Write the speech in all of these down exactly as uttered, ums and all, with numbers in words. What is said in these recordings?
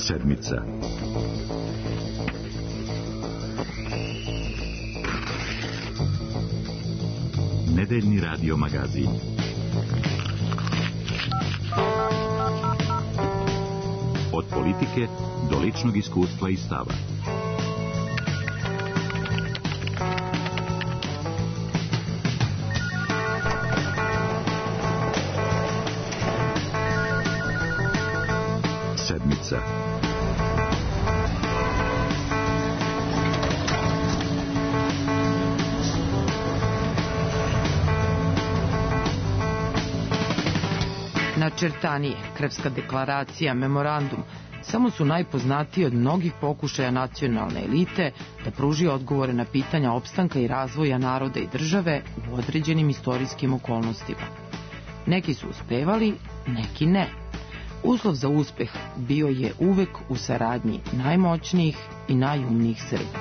Sedmica. Nedeljni radio magazin. Od politike do ličnog iskustva i stava. Sedmica. Načrtanije, Krevska deklaracija, memorandum, samo su najpoznatiji od mnogih pokušaja nacionalne elite da pruži odgovore na pitanja opstanka i razvoja naroda i države u određenim istorijskim okolnostima. Neki su uspevali, neki ne. Uslov za uspeh bio je uvek u saradnji najmoćnijih i najumnijih Srba.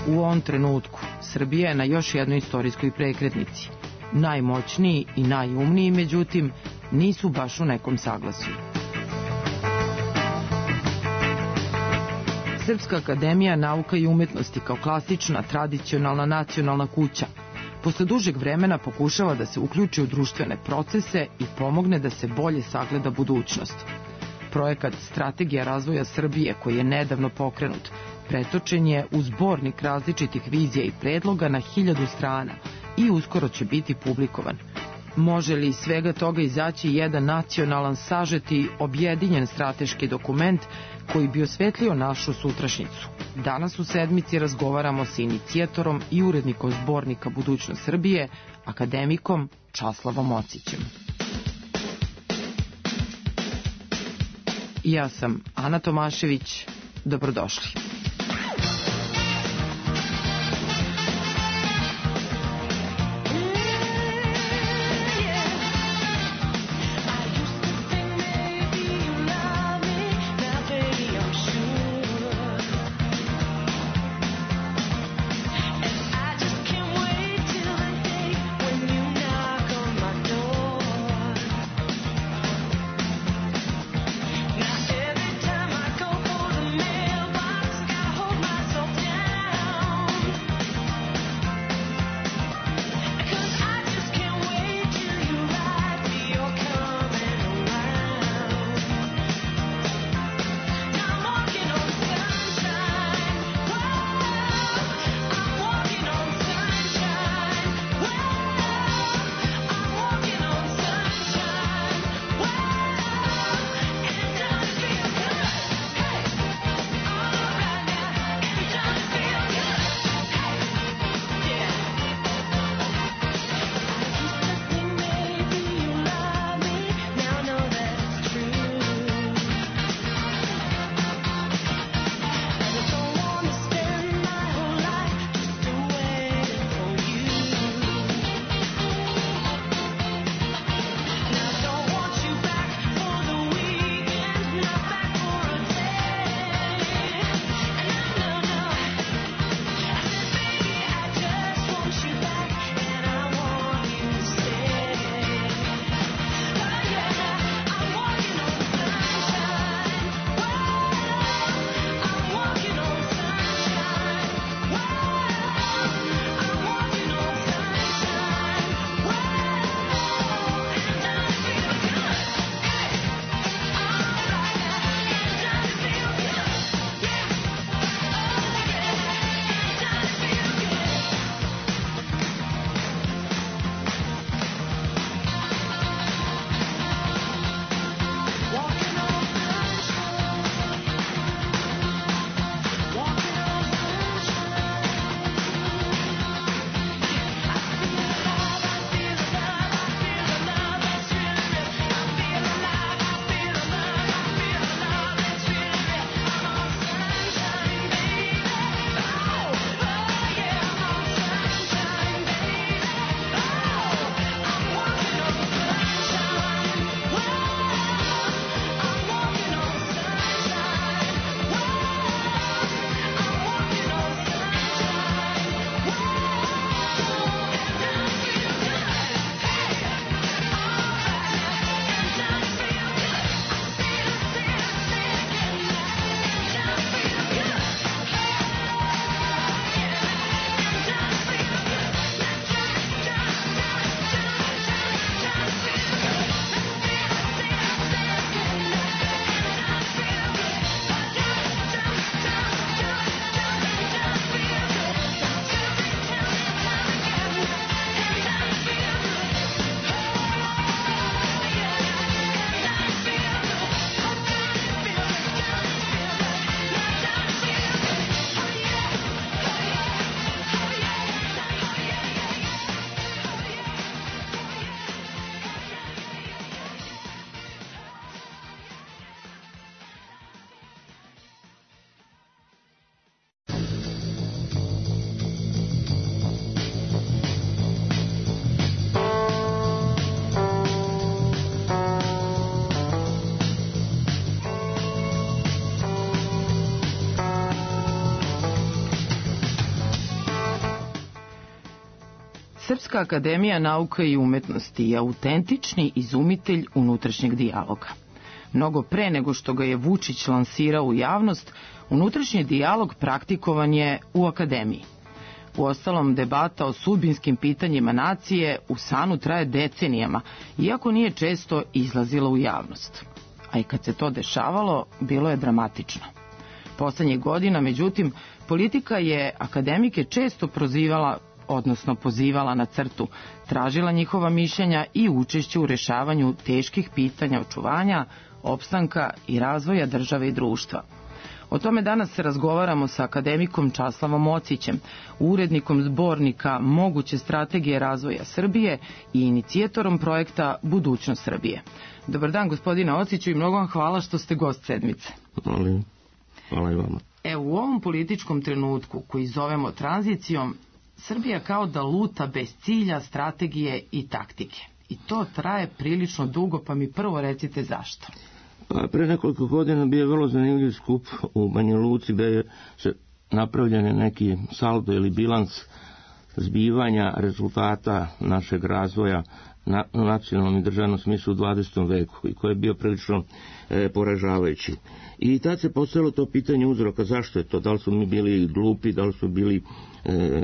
U ovom trenutku Srbija je na još jednoj istorijskoj prekretnici. Najmoćniji i najumniji, međutim, nisu baš u nekom saglasju. Srpska akademija nauka i umetnosti kao klasična, tradicionalna nacionalna kuća posle dužeg vremena pokušava da se uključi u društvene procese i pomogne da se bolje sagleda budućnost. Projekat Strategija razvoja Srbije, koji je nedavno pokrenut, pretočen je u zbornik različitih vizija i predloga na hiljadu strana i uskoro će biti publikovan. Može li iz svega toga izaći jedan nacionalan, sažeti, objedinjen strateški dokument koji bi osvetlio našu sutrašnjicu? Danas u Sedmici razgovaramo sa inicijatorom i urednikom zbornika Budućnost Srbije, akademikom Časlavom Ocićem. Ja sam Ana Tomašević, dobrodošli. Srpska akademija nauka i umetnosti je autentični izumitelj unutrašnjeg dijaloga. Mnogo pre nego što ga je Vučić lansirao u javnost, unutrašnji dijalog praktikovan je u akademiji. Uostalom, debata o sudbinskim pitanjima nacije u SANU traje decenijama, iako nije često izlazila u javnost. A i kad se to dešavalo, bilo je dramatično. Poslednjih godina, međutim, politika je akademike često prozivala, odnosno pozivala na crtu, tražila njihova mišljenja i učešće u rešavanju teških pitanja očuvanja, opstanka i razvoja države i društva. O tome danas razgovaramo sa akademikom Časlavom Ocićem, urednikom zbornika Moguće strategije razvoja Srbije i inicijatorom projekta Budućnost Srbije. Dobar dan, gospodine Ociću, i mnogo vam hvala što ste gost sedmice. Hvala, hvala i vama. Evo, u ovom političkom trenutku koji zovemo tranzicijom, Srbija kao da luta bez cilja, strategije i taktike. I to traje prilično dugo, pa mi prvo recite zašto. Pa pre nekoliko godina bio je vrlo zanimljiv skup u Banja Luci gde je se napravljen neki saldo ili bilans zbivanja rezultata našeg razvoja na nacionalnom i državnom smislu u dvadesetom veku i koji je bio prilično e, poražavajući. I tad se postavilo to pitanje uzroka zašto je to, da li smo mi bili glupi, da li smo bili e,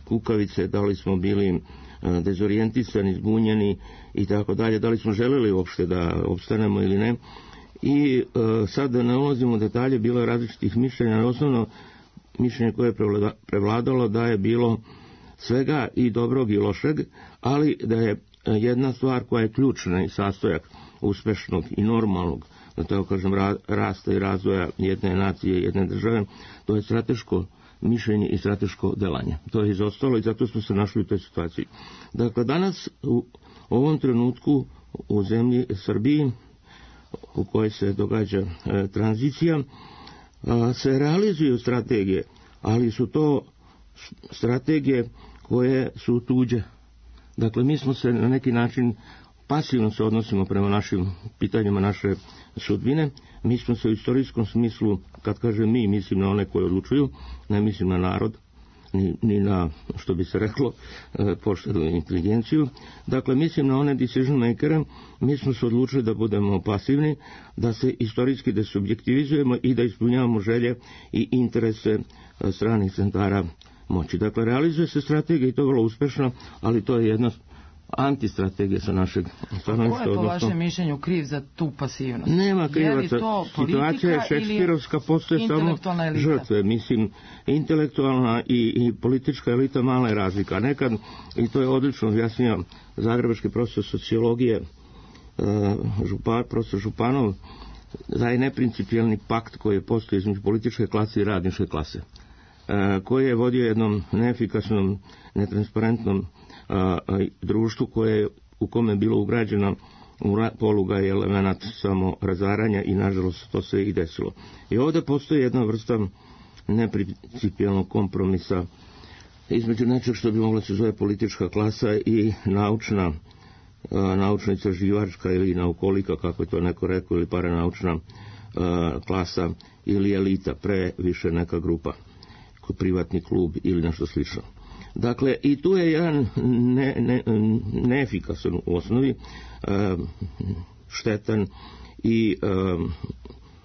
kukavice, da li smo bili e, dezorijentisani, zbunjeni i tako dalje, da li smo želeli uopšte da opstanemo ili ne. I e, sad da ne ulazimo u detalje, bilo je različitih mišljenja, osnovno mišljenje koje je prevladalo da je bilo svega i dobrog i lošeg, ali da je jedna stvar koja je ključna i sastojak uspešnog i normalnog, da tako kažem, rasta i razvoja jedne nacije, jedne države, to je strateško mišljenje i strateško delanje. To je izostalo i zato smo se našli u toj situaciji. Dakle, danas u ovom trenutku u zemlji Srbiji u kojoj se događa e, tranzicija, a, se realizuju strategije, ali su to strategije koje su tuđe. Dakle, mi smo se na neki način pasivno se odnosimo prema našim pitanjima naše sudbine. Mi smo se u istorijskom smislu, kad kažem mi, mislim na one koje odlučuju, ne mislim na narod, ni, ni na, što bi se reklo, poštenu inteligenciju. Dakle, mislim na one decision makere, mi smo se odlučili da budemo pasivni, da se istorijski desubjektivizujemo i da ispunjavamo želje i interese stranih centara moći. Dakle, realizuje se strategija i to je vrlo uspešno, ali to je jedna antistrategija sa našeg stanovišta. Ko je po vašem mišljenju kriv za tu pasivnost? Nema krivaca. Situacija je šekspirovska, postoje samo žrtve. Mislim, intelektualna i, i politička elita mala je razlika. Nekad, i to je odlično objasnio zagrebački profesor sociologije, župan, profesor Županov, da je neprincipijelni pakt koji je postoji između političke klase i radničke klase, koji je vodio jednom neefikasnom, netransparentnom a, a, društvu koje, u kome je bilo ugrađeno poluga i element samo razaranja i nažalost to se i desilo. I ovdje postoji jedna vrsta neprincipijelnog kompromisa između nečeg što bi mogla se zove politička klasa i naučna, a, naučna istraživačka ili naukolika, kako je to neko rekao, ili paranaučna a, klasa ili elita, pre više neka grupa, privatni klub ili nešto slično. Dakle, i tu je jedan ne, ne, neefikasan u osnovi, e, štetan i e,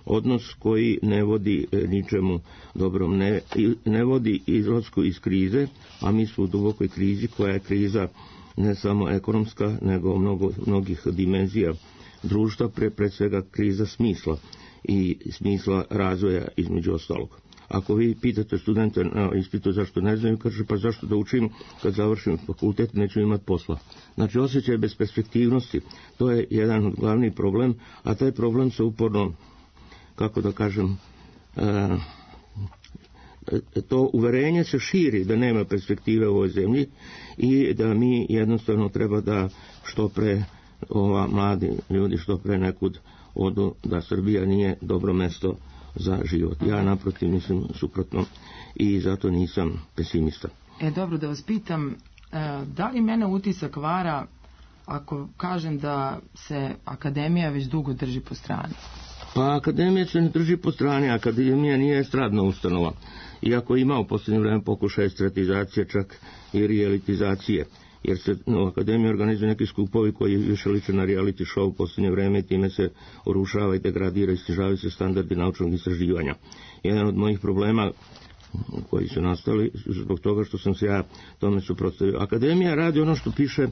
odnos koji ne vodi ničemu dobrom, ne, ne vodi izlasku iz krize, a mi smo u dubokoj krizi koja je kriza ne samo ekonomska, nego mnogo, mnogih dimenzija društva, pre, pre svega kriza smisla i smisla razvoja između ostalog. Ako vi pitate studente na ispitu zašto ne znaju, kaže pa zašto da učim, kad završim fakultet neću imati posla. Znači osjećaj besperspektivnosti, to je jedan od glavnih problem, a taj problem se uporno, kako da kažem, e, to uverenje se širi da nema perspektive u ovoj zemlji i da mi jednostavno treba da što pre ova mladi ljudi što pre nekud odu, da Srbija nije dobro mesto za život. Ja naprotiv mislim suprotno i zato nisam pesimista. E, dobro, da vas pitam, da li mene utisak vara ako kažem da se akademija već dugo drži po strani? Pa akademija se ne drži po strani, akademija nije estradna ustanova. Iako ima u posljednje vreme pokušaj estradizacije, čak i realitizacije. jer se u akademiji organizuju neki skupovi koji više liče na reality show u posljednje vreme i time se urušava i degradira i snižavaju se standardi naučnog istraživanja. Jedan od mojih problema koji su nastali zbog toga što sam se ja tome suprotstavio. Akademija radi ono što piše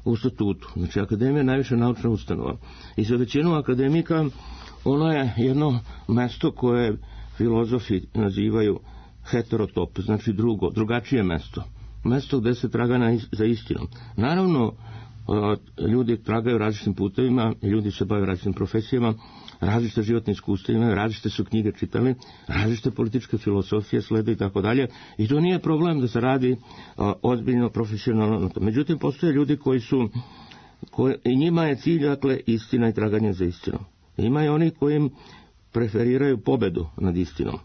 u statutu. Znači, akademija je najviše naučna ustanova. I za većinu akademika ono je jedno mesto koje filozofi nazivaju heterotop, znači drugo, drugačije mesto. Mesto gde se traga na, za istinom. Naravno, ljudi tragaju različitim putevima, ljudi se bave različitim profesijama, različite životne iskustva imaju, različite su knjige čitali, različite političke filosofije slede i tako dalje. I to nije problem da se radi a, ozbiljno, profesionalno. Međutim, postoje ljudi koji su, koji, i njima je cilj, dakle, istina i traganje za istinom. Ima i oni koji preferiraju pobedu nad istinom.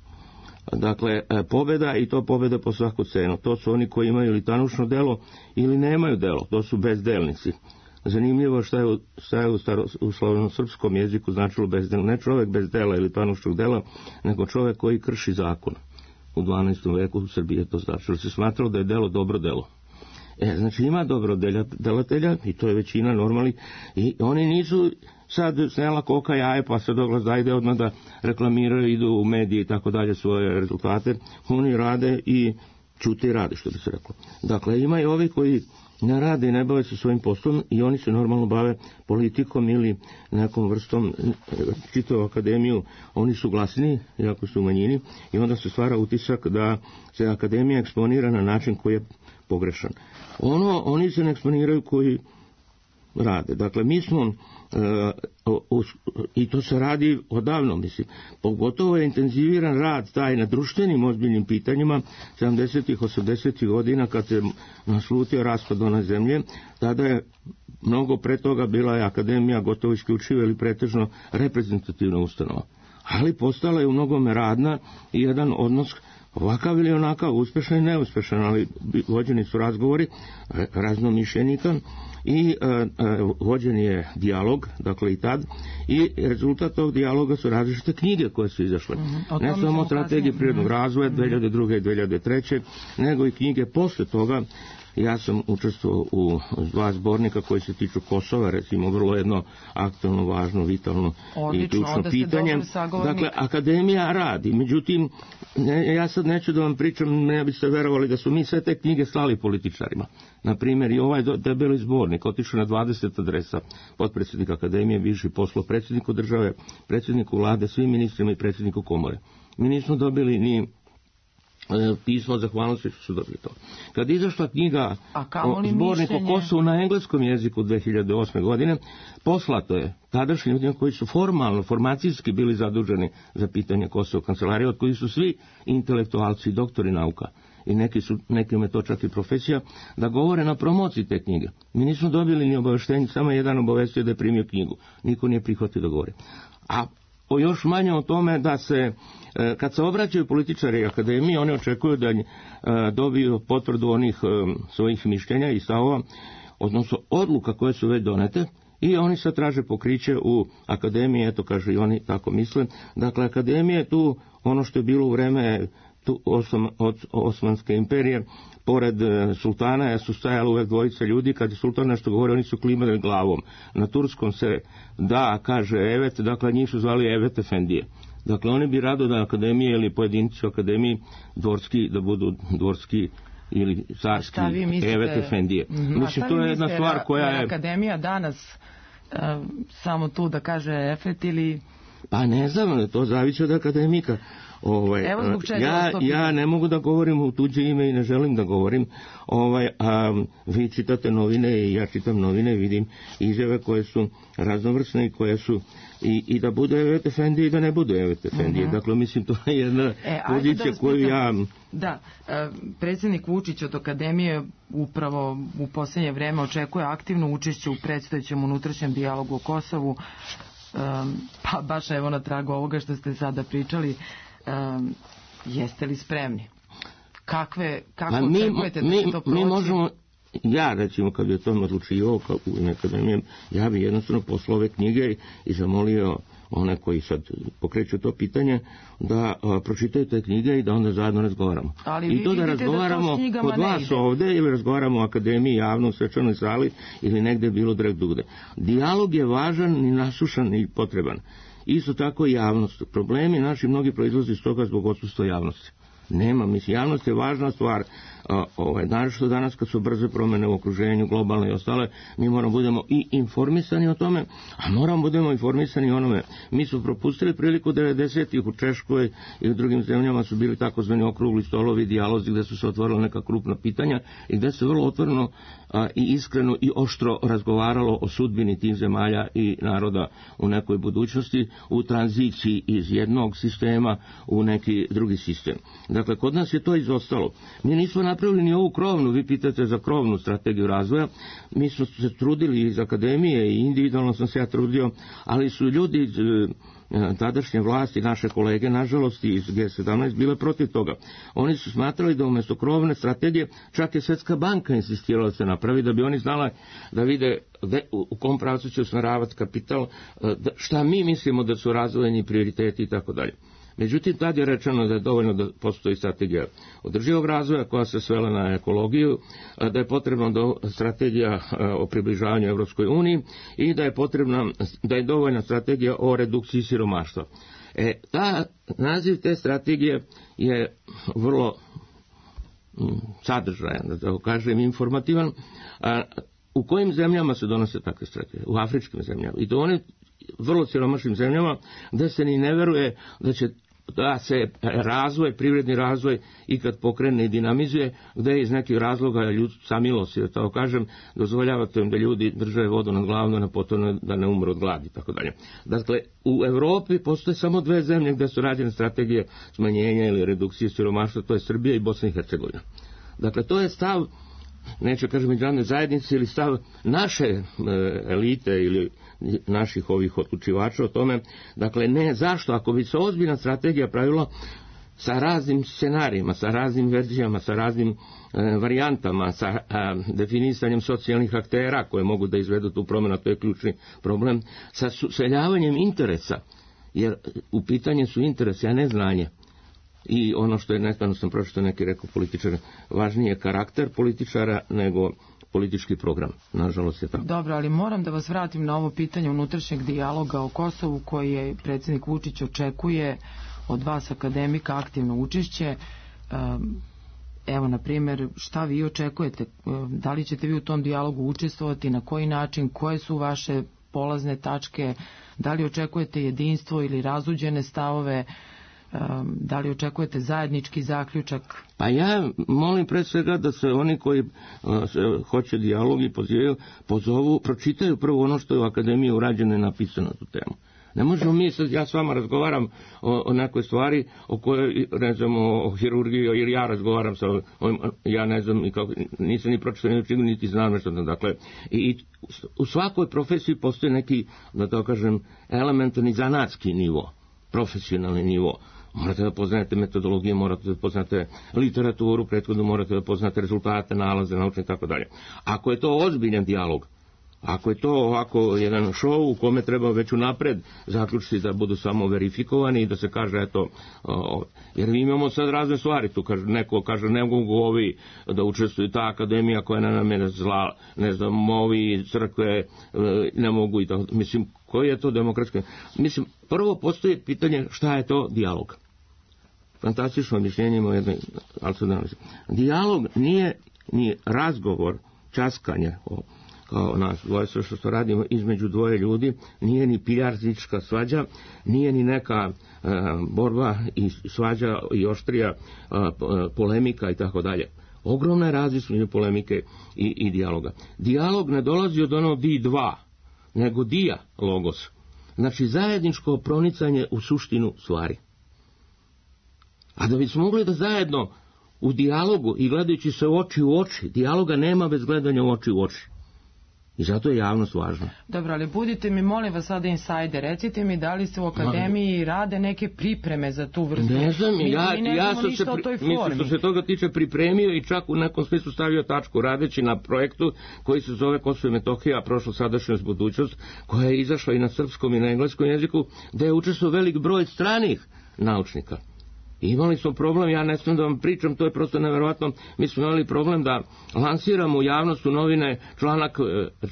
Dakle, pobeda i to pobeda po svaku cenu. To su oni koji imaju ili tanučno delo ili nemaju delo. To su bezdelnici. Zanimljivo šta je, šta je u, staro, u slavno-srpskom jeziku značilo bezdelno. Ne čovjek bez dela ili tanučnog dela, nego čovjek koji krši zakon. U dvanaestom veku u Srbiji je to značilo. Se smatralo da je delo dobro delo. E, znači ima dobro delatelja i to je većina normalnih i oni nisu sad snela koka jaje pa sad oglas da ide odmah da reklamiraju, idu u medije i tako dalje svoje rezultate. Oni rade i čute i rade, što bi se reklo. Dakle, ima i ovi koji ne rade i ne bave se svojim poslom i oni se normalno bave politikom ili nekom vrstom, čitavu akademiju, oni su glasni, jako su u manjini i onda se stvara utisak da se akademija eksponira na način koji je pogrešan. Ono, oni se ne eksponiraju koji rade. Dakle, mi smo, uh, uh, i to se radi odavno, mislim, pogotovo je intenziviran rad taj na društvenim ozbiljnim pitanjima sedamdesetih, osamdesetih godina kad se naslutio raspad one zemlje, tada je mnogo pre toga bila je akademija gotovo isključivo ili pretežno reprezentativna ustanova. Ali postala je u mnogome radna i jedan odnos ovakav ili onakav, uspešan i neuspešan, ali vođeni su razgovori raznomišljenika i e, e, vođen je dijalog, dakle i tad, i rezultat tog dijaloga su različite knjige koje su izašle. Mm-hmm. Ne samo strategije prirodnog razvoja dve hiljade druge i dve hiljade treće, nego i knjige posle toga. Ja sam učestvovao u dva zbornika koji se tiču Kosova, recimo vrlo jedno aktualno, važno, vitalno Odlično, i ključno pitanje. Dakle, akademija radi. Međutim, ne, ja sad neću da vam pričam, ne biste verovali da su mi sve te knjige slali političarima. Naprimjer, i ovaj debeli zbornik otišao na dvadeset adresa, potpredsjednik akademije, bivši poslo predsjedniku države, predsjedniku vlade, svim ministrima i predsjedniku komore. Mi nismo dobili ni pismo zahvalnosti što su dobili to. Kad je izašla knjiga o zborniku o Kosovu na engleskom jeziku dve hiljade osme godine, poslato je tadašnjim ljudima koji su formalno, formacijski bili zaduženi za pitanje Kosova kancelarije, od koji su svi intelektualci i doktori nauka. I neki su, nekima je to čak i profesija, da govore na promociji te knjige. Mi nismo dobili ni obaveštenje, samo jedan obavestio da je primio knjigu. Niko nije prihvatio da govori. A o još manje o tome da se, kad se obraćaju političari akademije, oni očekuju da dobiju potvrdu onih svojih mišljenja i stavova, odnosno odluka koje su već donete, i oni sad traže pokriće u akademiji, eto kažu i oni tako misle. Dakle, akademija je tu ono što je bilo u vreme tu osam, od Osmanske imperije, pored sultana su stajali uvek dvojice ljudi, kad je sultan nešto govori, oni su klimali glavom. Na turskom se da, kaže evet, dakle njih su zvali Evet efendije. Dakle, oni bi rado da akademije ili pojedinci u akademiji dvorski, da budu dvorski ili carski Evet efendije. Mm-hmm. Mislim, to je jedna stvar koja je... Akademija danas uh, samo tu da kaže efet ili... Pa ne znam, to zavisi od akademika. Ovaj, Evo zbog čega ja, ja ne mogu da govorim u tuđe ime i ne želim da govorim. Ovaj, a, vi čitate novine i ja čitam novine, vidim izjave koje su raznovrsne i koje su i, i da bude Evet efendije i da ne bude Evet efendije. Uh-huh. Dakle, mislim, to je jedna e, pozicija da koju ja... Da, predsjednik Vučić od akademije upravo u posljednje vreme očekuje aktivno učešće u predstojećem unutrašnjem dijalogu o Kosovu. Um, pa baš evo na tragu ovoga što ste sada pričali, um, jeste li spremni? Kakve, kako pa mi, očekujete da mi, će to proći? Mi možemo, ja recimo kad je to odlučivao, ja bi jednostavno poslao ove knjige i zamolio one koji sad pokreću to pitanje, da a, pročitaju te knjige i da onda zajedno razgovaramo. Ali I to da razgovaramo da kod vas ovde ili razgovaramo u akademiji, javno, u svečanoj sali ili negde bilo drugde. Dijalog je važan i nasušan i potreban. Isto tako i javnost. Problemi naši mnogi proizlaze iz toga zbog odsustva javnosti. Nema, mislim, javnost je važna stvar. Ovaj, naravno danas kad su brze promjene u okruženju, globalne i ostale, mi moramo budemo i informisani o tome, a moramo budemo informisani o onome. Mi smo propustili priliku devedesetih u Češkoj i u drugim zemljama su bili takozvani okrugli stolovi, dijalozi gde su se otvorila neka krupna pitanja i gde se vrlo otvoreno a, i iskreno i oštro razgovaralo o sudbini tih zemalja i naroda u nekoj budućnosti, u tranziciji iz jednog sistema u neki drugi sistem. Dakle, kod nas je to izostalo. Mi nismo napravili ni ovu krovnu, vi pitate za krovnu strategiju razvoja, mi smo se trudili iz akademije i individualno sam se ja trudio, ali su ljudi iz tadašnje vlasti, naše kolege, nažalost iz G sedamnaest, bile protiv toga. Oni su smatrali da umjesto krovne strategije, čak je Svjetska banka insistirala da se napravi, da bi oni znala da vide u kom pravcu će usmeravati kapital, šta mi mislimo da su razvojni prioriteti i tako dalje. Međutim, tad je rečeno da je dovoljno da postoji strategija održivog razvoja koja se svela na ekologiju, da je potrebna strategija o približavanju Evropskoj uniji i da je potrebna, da je dovoljna strategija o redukciji siromaštva. E, ta, naziv te strategije je vrlo sadržajan, da tako kažem, informativan. A, u kojim zemljama se donose takve strategije? U afričkim zemljama. I to one vrlo siromašnim zemljama, da se ni ne veruje da će da se razvoj, privredni razvoj ikad pokrene i dinamizuje, gde iz nekih razloga ljud, samilosti, da tako kažem, dozvoljavate im da ljudi drže vodu nad glavom, na potom da ne umru od gladi, tako dalje. Dakle, u Evropi postoje samo dve zemlje gde su rađene strategije smanjenja ili redukcije siromaštva, to je Srbija i Bosna i Hercegovina. Dakle, to je stav, neću kažem međunarodne zajednice, ili stav naše e, elite ili naših ovih odlučivača o tome. Dakle, ne, zašto? Ako bi se ozbiljna strategija pravila sa raznim scenarijima, sa raznim verzijama, sa raznim e, varijantama, sa e, definisanjem socijalnih aktera koje mogu da izvedu tu promjenu, to je ključni problem, sa seljavanjem interesa, jer u pitanju su interesi, a ne znanje. I ono što je nekada sam pročitao neki rekao političar, važniji je karakter političara nego politički program. Nažalost je tako. Dobro, ali moram da vas vratim na ovo pitanje unutrašnjeg dijaloga o Kosovu koji je predsjednik Vučić očekuje od vas akademika aktivno učešće. Evo, na primjer, šta vi očekujete? Da li ćete vi u tom dijalogu učestvovati, na koji način, koje su vaše polazne tačke, da li očekujete jedinstvo ili razuđene stavove, da li očekujete zajednički zaključak? Pa ja molim pre svega da se oni koji se hoće dijalog i pozivaju, pozovu, pročitaju prvo ono što je u akademiji urađeno i napisano na tu temu. Ne možemo mi sad, ja s vama razgovaram o, o nekoj stvari o kojoj, ne znam, o hirurgiji, jer ja razgovaram sa ovim, ja ne znam, i kako, nisam ni pročitao, niti, niti znam nešto. Dakle, i, i u svakoj profesiji postoji neki, da to kažem, elementarni zanatski nivo, profesionalni nivo. Morate da poznate metodologije, morate da poznate literaturu, prethodno morate da poznate rezultate, nalaze, naučne i tako dalje. Ako je to ozbiljan dijalog, ako je to ovako jedan show u kome treba već unapred zaključiti da budu samo verifikovani i da se kaže eto, o, jer mi imamo sad razne stvari, tu kaže, neko kaže ne mogu ovi da učestvuju, ta akademija koja na nam je zla, ne znam, ovi crkve ne mogu i tako, mislim, koji je to demokratski? Mislim, prvo postoji pitanje šta je to dijalog. Fantastično objašnjenje ima jednoj alternativnosti. Dijalog nije ni razgovor, časkanje, o, kao nas dvoje, sve što radimo između dvoje ljudi, nije ni pijarzička svađa, nije ni neka e, borba i svađa i oštrija e, polemika i tako dalje. Ogromna je razlika između polemike i, i dijaloga. Dijalog ne dolazi od ono di dva, nego dija logos. Znači zajedničko pronicanje u suštinu stvari. A da bismo mogli da zajedno u dijalogu i gledajući se oči u oči, dijaloga nema bez gledanja u oči u oči. I zato je javnost važna. Dobro, ali budite mi, molim vas sada insajder, recite mi da li se u akademiji rade neke pripreme za tu vrstu. Ne znam, mi, ja, mi ne ja znamo ništa se, o toj mislim formi. što se toga tiče pripremio i čak u nekom smislu stavio tačku radeći na projektu koji se zove Kosovo i Metohija, prošlo, sadašnjost, budućnost, koja je izašla i na srpskom i na engleskom jeziku, da je učestvovao velik broj stranih naučnika. I imali smo problem, ja ne smijem da vam pričam, to je prosto neverovatno, mi smo imali problem da lansiramo u javnost u novine članak,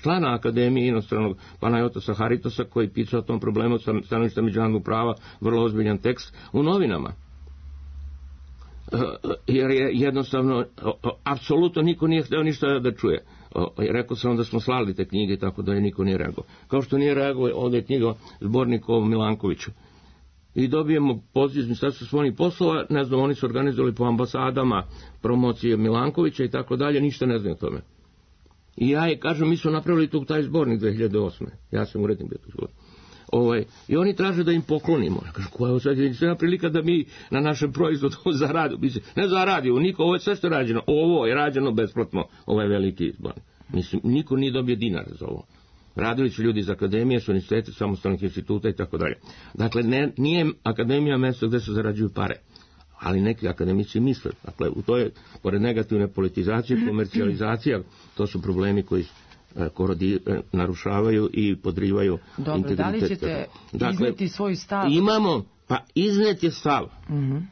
člana Akademije inostranog Panajotasa Haritosa koji pisao o tom problemu stanovišta međunarodnog prava, vrlo ozbiljan tekst u novinama. Jer je jednostavno, apsolutno niko nije hteo ništa da čuje. Rekao sam da smo slali te knjige, tako da je niko nije reagovao. Kao što nije reagovao, ovdje je knjiga zbornik o Milankoviću. I dobijemo poziv iz Ministarstva spoljnih poslova, ne znam, oni su organizovali po ambasadama promocije Milankovića i tako dalje, ništa ne znam o tome. I ja je kažem, mi smo napravili tu taj zbornik dve hiljade osme. Ja sam urednik bio tu zbornik. Ovaj, i oni traže da im poklonimo. Ja kažem, koja je sad jedinstvena prilika da mi na našem proizvodu zaradimo? Ne zaradimo, niko, ovo je sve što je rađeno. Ovo je rađeno besplatno, ovaj veliki zbornik. Mislim, niko nije dobio dinar za ovo. Radili su ljudi iz akademije, su univerziteta, samostalnih instituta i tako dalje. Dakle, ne, nije akademija mjesto gdje se zarađuju pare, ali neki akademici misle. Dakle, u to je, pored negativne politizacije, komercijalizacija, to su problemi koji korodi, narušavaju i podrivaju Dobro, integritet. da li ćete dakle, izneti svoj stav? Imamo, pa iznet je stav. Mm-hmm.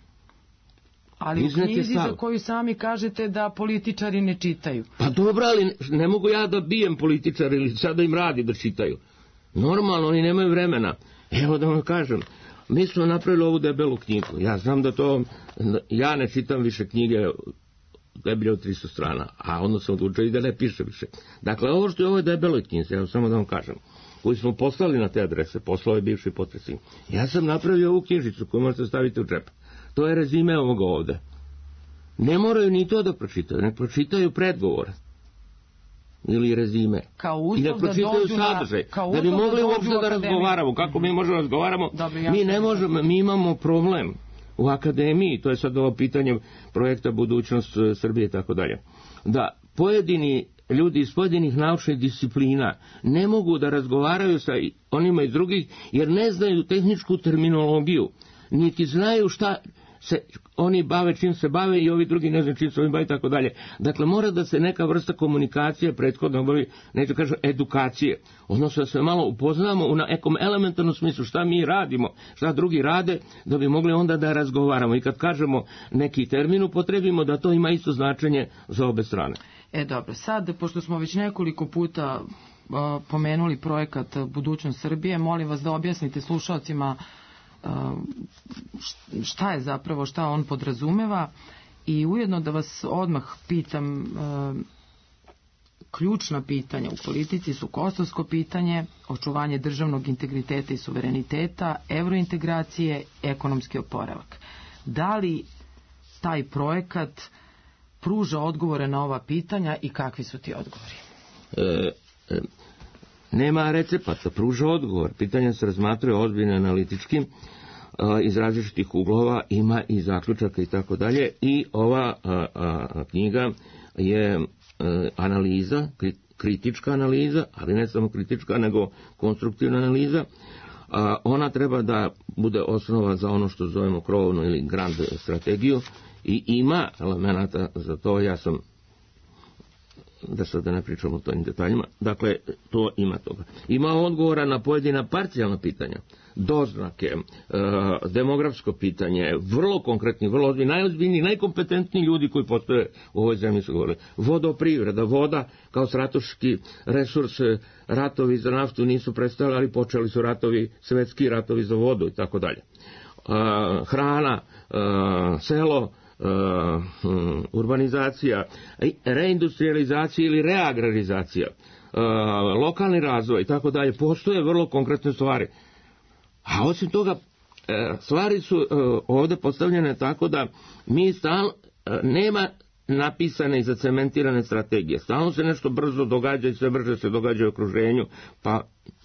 Ali u knjizi za koju sami kažete da političari ne čitaju. Pa dobro, ali ne mogu ja da bijem političari ili sad da im radi da čitaju. Normalno, oni nemaju vremena. Evo da vam kažem, mi smo napravili ovu debelu knjigu. Ja znam da to, ja ne čitam više knjige deblje od tristo strana, a onda sam odlučio i da ne piše više. Dakle, ovo što je ovo debeloj knjizi, evo samo da vam kažem, koji smo poslali na te adrese, poslao je bivši potpredsjednik. Ja sam napravio ovu knjižicu koju možete staviti u džep. To je rezime ovoga ovde. Ne moraju ni to da pročitaju, ne pročitaju predgovor ili rezime. Kao uslov i ne pročitaju da sadržaj. Na, da bi mogli da uopšte da razgovaramo. Kako mi možemo razgovaramo? Dobre, mi ne možemo, mi imamo problem u akademiji, to je sad ovo pitanje projekta Budućnost Srbije i tako dalje. Da pojedini ljudi iz pojedinih naučnih disciplina ne mogu da razgovaraju sa onima iz drugih jer ne znaju tehničku terminologiju, niti znaju šta se oni bave, čim se bave i ovi drugi ne znaju čim se oni bave i tako dalje. Dakle, mora da se neka vrsta komunikacije prethodno obavi, neću kažem edukacije, odnosno da se malo upoznamo u nekom elementarnom smislu šta mi radimo, šta drugi rade, da bi mogli onda da razgovaramo i kad kažemo neki termin upotrebimo da to ima isto značenje za obe strane. E dobro, sad, pošto smo već nekoliko puta uh, pomenuli projekat Budućnost Srbije, molim vas da objasnite slušalcima uh, šta je zapravo, šta on podrazumeva i ujedno da vas odmah pitam, uh, ključna pitanja u politici su kosovsko pitanje, očuvanje državnog integriteta i suvereniteta, eurointegracije, ekonomski oporavak. Da li taj projekat pruža odgovore na ova pitanja i kakvi su ti odgovori? E, e, nema recepata, pruža odgovor. Pitanja se razmatraju ozbiljno analitički, iz različitih uglova, ima i zaključaka i tako dalje. I ova a, a, knjiga je a, analiza, kritička analiza, ali ne samo kritička, nego konstruktivna analiza. A, ona treba da bude osnova za ono što zovemo krovnu ili grand strategiju i ima elemenata za to, ja sam, da sad ne pričam o tojim detaljima, dakle, to ima toga. Ima odgovora na pojedina parcijalna pitanja, doznake, e, demografsko pitanje, vrlo konkretni, vrlo ozbiljni, najozbiljniji, najkompetentniji ljudi koji postoje u ovoj zemlji su govorili. Vodoprivreda, voda kao strateški resurs, ratovi za naftu nisu prestali, ali počeli su ratovi, svetski ratovi za vodu i tako dalje. Hrana, e, selo, Uh, um, urbanizacija, reindustrializacija ili reagrarizacija, uh, lokalni razvoj i tako dalje, postoje vrlo konkretne stvari. A osim toga, uh, stvari su uh, ovdje postavljene tako da mi stalno, uh, nema napisane i zacementirane strategije. Stalno se nešto brzo događa i sve brže se događa u okruženju, pa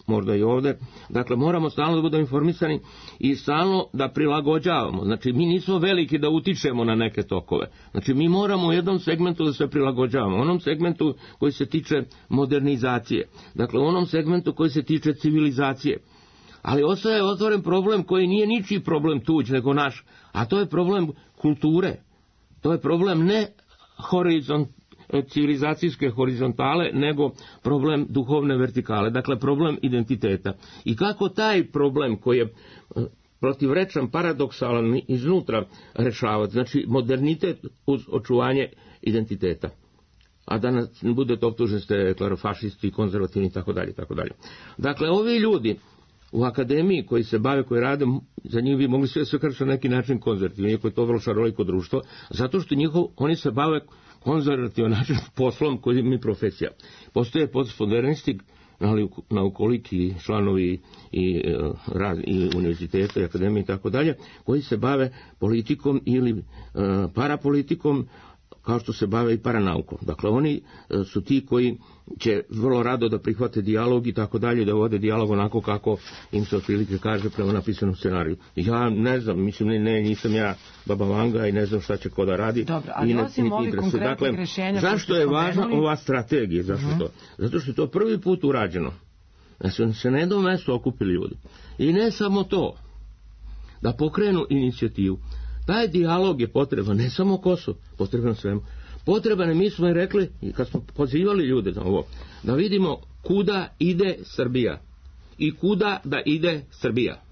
možda i ovde. Dakle, moramo stalno da budemo informisani i stalno da prilagođavamo. Znači, mi nismo veliki da utičemo na neke tokove. Znači, mi moramo u jednom segmentu da se prilagođavamo. U onom segmentu koji se tiče modernizacije. Dakle, u onom segmentu koji se tiče civilizacije. Ali ostaje otvoren problem koji nije ničiji problem tuđ, nego naš. A to je problem kulture. To je problem ne horizont, civilizacijske horizontale, nego problem duhovne vertikale, dakle problem identiteta. I kako taj problem koji je protivrečan, paradoksalan iznutra rešavati, znači modernitet uz očuvanje identiteta. A da nas ne budete optuženi ste klerofašisti, konzervativni i tako dalje, tako dalje. Dakle, ovi ljudi u akademiji koji se bave, koji rade, za njih bi mogli sve sve kažu na neki način konzervativni, iako je to vrlo šaroliko društvo, zato što njihov, oni se bave konzervativan način poslom koji mi profesija. Postoje postmodernisti, naukoliki, članovi i, i univerziteta i akademije i tako dalje, koji se bave politikom ili uh, parapolitikom, kao što se bave i paranaukom. Dakle, oni su ti koji će vrlo rado da prihvate dijalog i tako dalje, da vode dijalog onako kako im se otprilike kaže prema napisanom scenariju. Ja ne znam, mislim, ne, ne nisam ja Baba Vanga i ne znam šta će ko da radi. Dobro, ali osim ovih konkretnih dakle, rešenja... Zašto je važna ova strategija? Zašto uh-huh. to? Zato što je to prvi put urađeno. Da su se na jednom mjestu okupili ljudi. I ne samo to, da pokrenu inicijativu. Taj dijalog je potreban, ne samo Kosovo, potreban svemu. Potreban je, mi smo i rekli, kad smo pozivali ljude na ovo, da vidimo kuda ide Srbija i kuda da ide Srbija.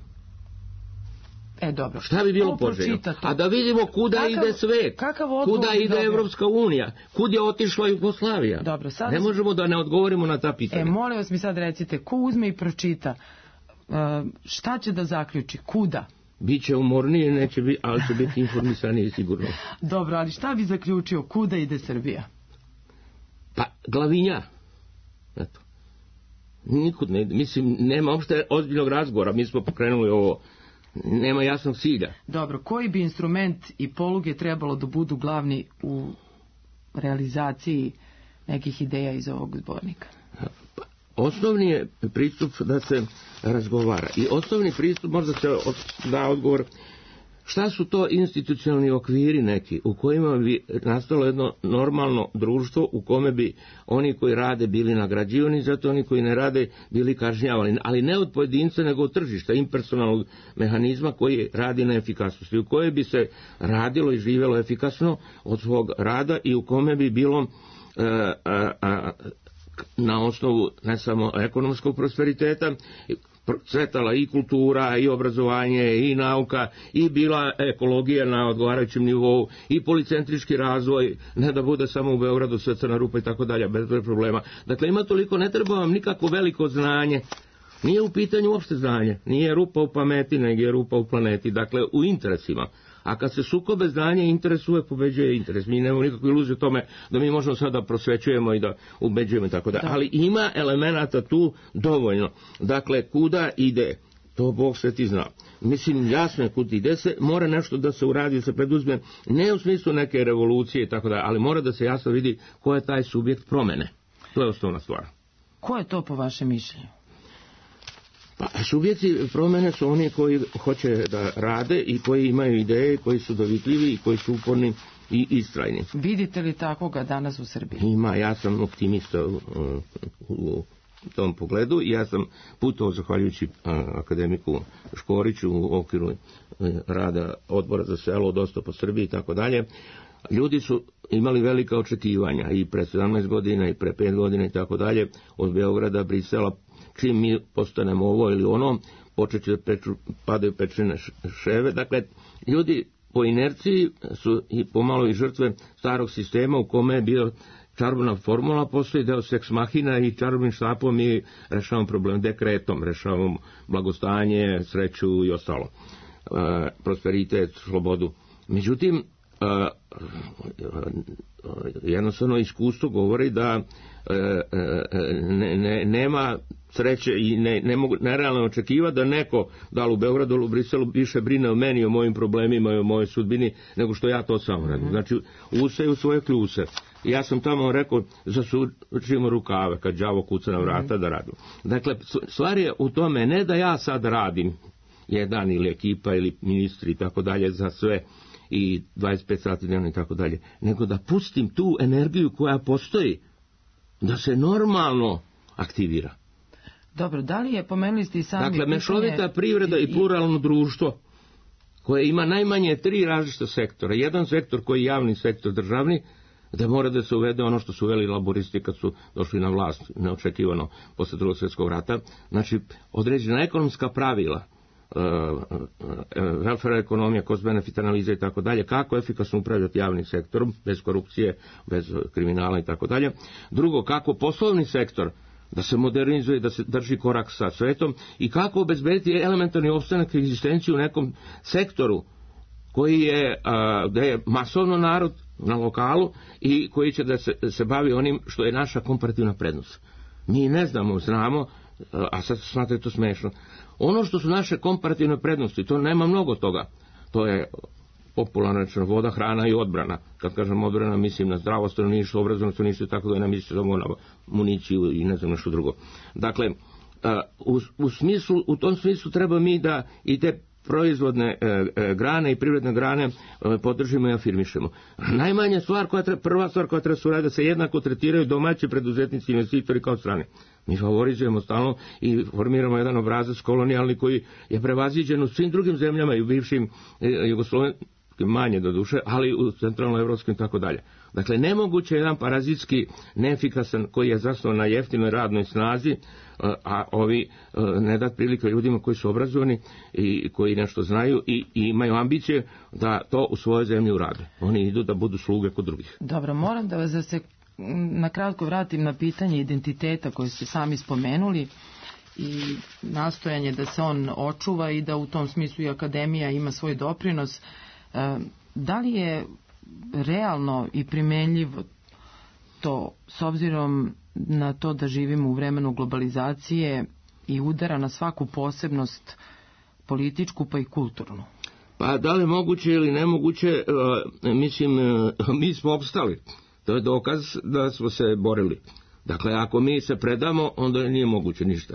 E, dobro. Šta bi bilo poželjno? A da vidimo kuda kakav, ide svet, kuda ide dobro. Evropska unija, kud je otišla Jugoslavija. Dobro, sada ne možemo da ne odgovorimo na ta pitanja. E, molim vas mi sad recite, ko uzme i pročita, uh, šta će da zaključi, kuda? Biće umornije, neće biti, ali će biti informisanije sigurno. Dobro, ali šta bi zaključio, kuda ide Srbija? Pa, glavinja. Eto. Nikud ne ide. Mislim, nema uopšte ozbiljnog razgovora. Mi smo pokrenuli ovo. Nema jasnog cilja. Dobro, koji bi instrument i poluge trebalo da budu glavni u realizaciji nekih ideja iz ovog zbornika? Pa, osnovni je pristup da se razgovara. I osnovni pristup možda se da odgovor šta su to institucionalni okviri neki u kojima bi nastalo jedno normalno društvo u kome bi oni koji rade bili nagrađivani, zato oni koji ne rade bili kažnjavani, ali ne od pojedinca nego od tržišta, impersonalnog mehanizma koji radi na efikasnosti, u kojoj bi se radilo i živjelo efikasno od svog rada i u kome bi bilo a, a, a, na osnovu ne samo ekonomskog prosperiteta cvetala i kultura, i obrazovanje, i nauka, i bila ekologija na odgovarajućem nivou, i policentrički razvoj, ne da bude samo u Beogradu sve crna rupa i tako dalje, bez problema. Dakle, ima toliko, ne treba vam nikako veliko znanje, nije u pitanju uopšte znanje, nije rupa u pameti, nego je rupa u planeti, dakle, u interesima. A kad se sukobe znanje interesuje, pobeđuje interes. Mi nemamo nikakvu iluziju o tome da mi možemo sada prosvećujemo i da ubeđujemo i tako da. Ali ima elemenata tu dovoljno. Dakle, kuda ide, to Bog sve ti zna. Mislim, jasno je kuda ide se, mora nešto da se uradi, da se preduzme, ne u smislu neke revolucije i tako da, ali mora da se jasno vidi ko je taj subjekt promene. To je osnovna stvar. Ko je to po vašem mišljenju? Pa, subjekti promjene su oni koji hoće da rade i koji imaju ideje, koji su dovitljivi i koji su uporni i istrajni. Vidite li takvoga danas u Srbiji? Ima, ja sam optimista u, u tom pogledu i ja sam putovao zahvaljujući akademiku Škoriću u okviru rada odbora za selo, dosta po Srbiji i tako dalje. Ljudi su imali velika očekivanja i pre sedamnaest godina i pre pet godina i tako dalje od Beograda, Brisela. Čim mi postanemo ovo ili ono, počet će da peču, padaju pečene ševe. Dakle, ljudi po inerciji su i pomalo i žrtve starog sistema u kome je bio čarobna formula, postoji deo seks mahina i čarobnim štapom mi rešavamo problem, dekretom rešavamo blagostanje, sreću i ostalo. E, prosperitet, slobodu. Međutim, e, jednostavno iskustvo govori da ne, ne, nema sreće i ne, ne mogu nerealno očekivati da neko, da li u Beogradu ili u Briselu, više brine o meni, o mojim problemima i o mojoj sudbini, nego što ja to sam radim. Znači, useju svoje kljuse. Ja sam tamo rekao, zasučimo rukave kad đavo kuca na vrata da radu. Dakle, stvar je u tome ne da ja sad radim jedan ili ekipa ili ministri i tako dalje za sve i dvadeset pet sati dnevno i tako dalje, nego da pustim tu energiju koja postoji, da se normalno aktivira. Dobro, da li je, pomenuli ste i sami... Dakle, mešovita privreda i pluralno društvo koje ima najmanje tri različita sektora. Jedan sektor koji je javni sektor državni, da mora da se uvede ono što su uveli laboristi kad su došli na vlast neočekivano posle drugog svjetskog rata. Znači, određena ekonomska pravila, welfare ekonomija, cost benefit analiza i tako dalje, kako efikasno upravljati javnim sektorom, bez korupcije, bez kriminala i tako dalje. Drugo, kako poslovni sektor da se modernizuje, da se drži korak sa svetom i kako obezbediti elementarni opstanak i egzistenciju u nekom sektoru koji je, da je masovno narod na lokalu i koji će da se, se bavi onim što je naša komparativna prednost. Mi ne znamo, znamo, a sad smatrate to smešno. Ono što su naše komparativne prednosti, to nema mnogo toga. To je popularno rečeno voda, hrana i odbrana. Kad kažem odbrana, mislim na zdravo stanovništvo, obrazovno stanovništvo i tako da ne mislim samo na municiju i ne znam nešto drugo. Dakle, u, u, smislu, u tom smislu treba mi da i te proizvodne e, e, grane i privredne grane e, podržimo i afirmišemo. Najmanja stvar koja treba, prva stvar koja treba se uraditi, da se jednako tretiraju domaći preduzetnici i investitori kao strani. Mi favorizujemo stalno i formiramo jedan obrazac kolonijalni koji je prevaziđen u svim drugim zemljama i u bivšim e, jugoslovenskim, manje do duše, ali u centralnoevropskim i tako dalje. Dakle, nemoguće je jedan parazitski, neefikasan, koji je zasnovan na jeftinoj radnoj snazi, a ovi ne dat prilike ljudima koji su obrazovani i koji nešto znaju i, i imaju ambicije da to u svojoj zemlji urade. Oni idu da budu sluge kod drugih. Dobro, moram da vas da se na kratko vratim na pitanje identiteta koje ste sami spomenuli i nastojanje da se on očuva i da u tom smislu i akademija ima svoj doprinos. Da li je realno i primenljivo to, s obzirom na to da živimo u vremenu globalizacije i udara na svaku posebnost političku pa i kulturnu? Pa da li moguće ili nemoguće, mislim, mi smo opstali. To je dokaz da smo se borili. Dakle, ako mi se predamo, onda nije moguće ništa.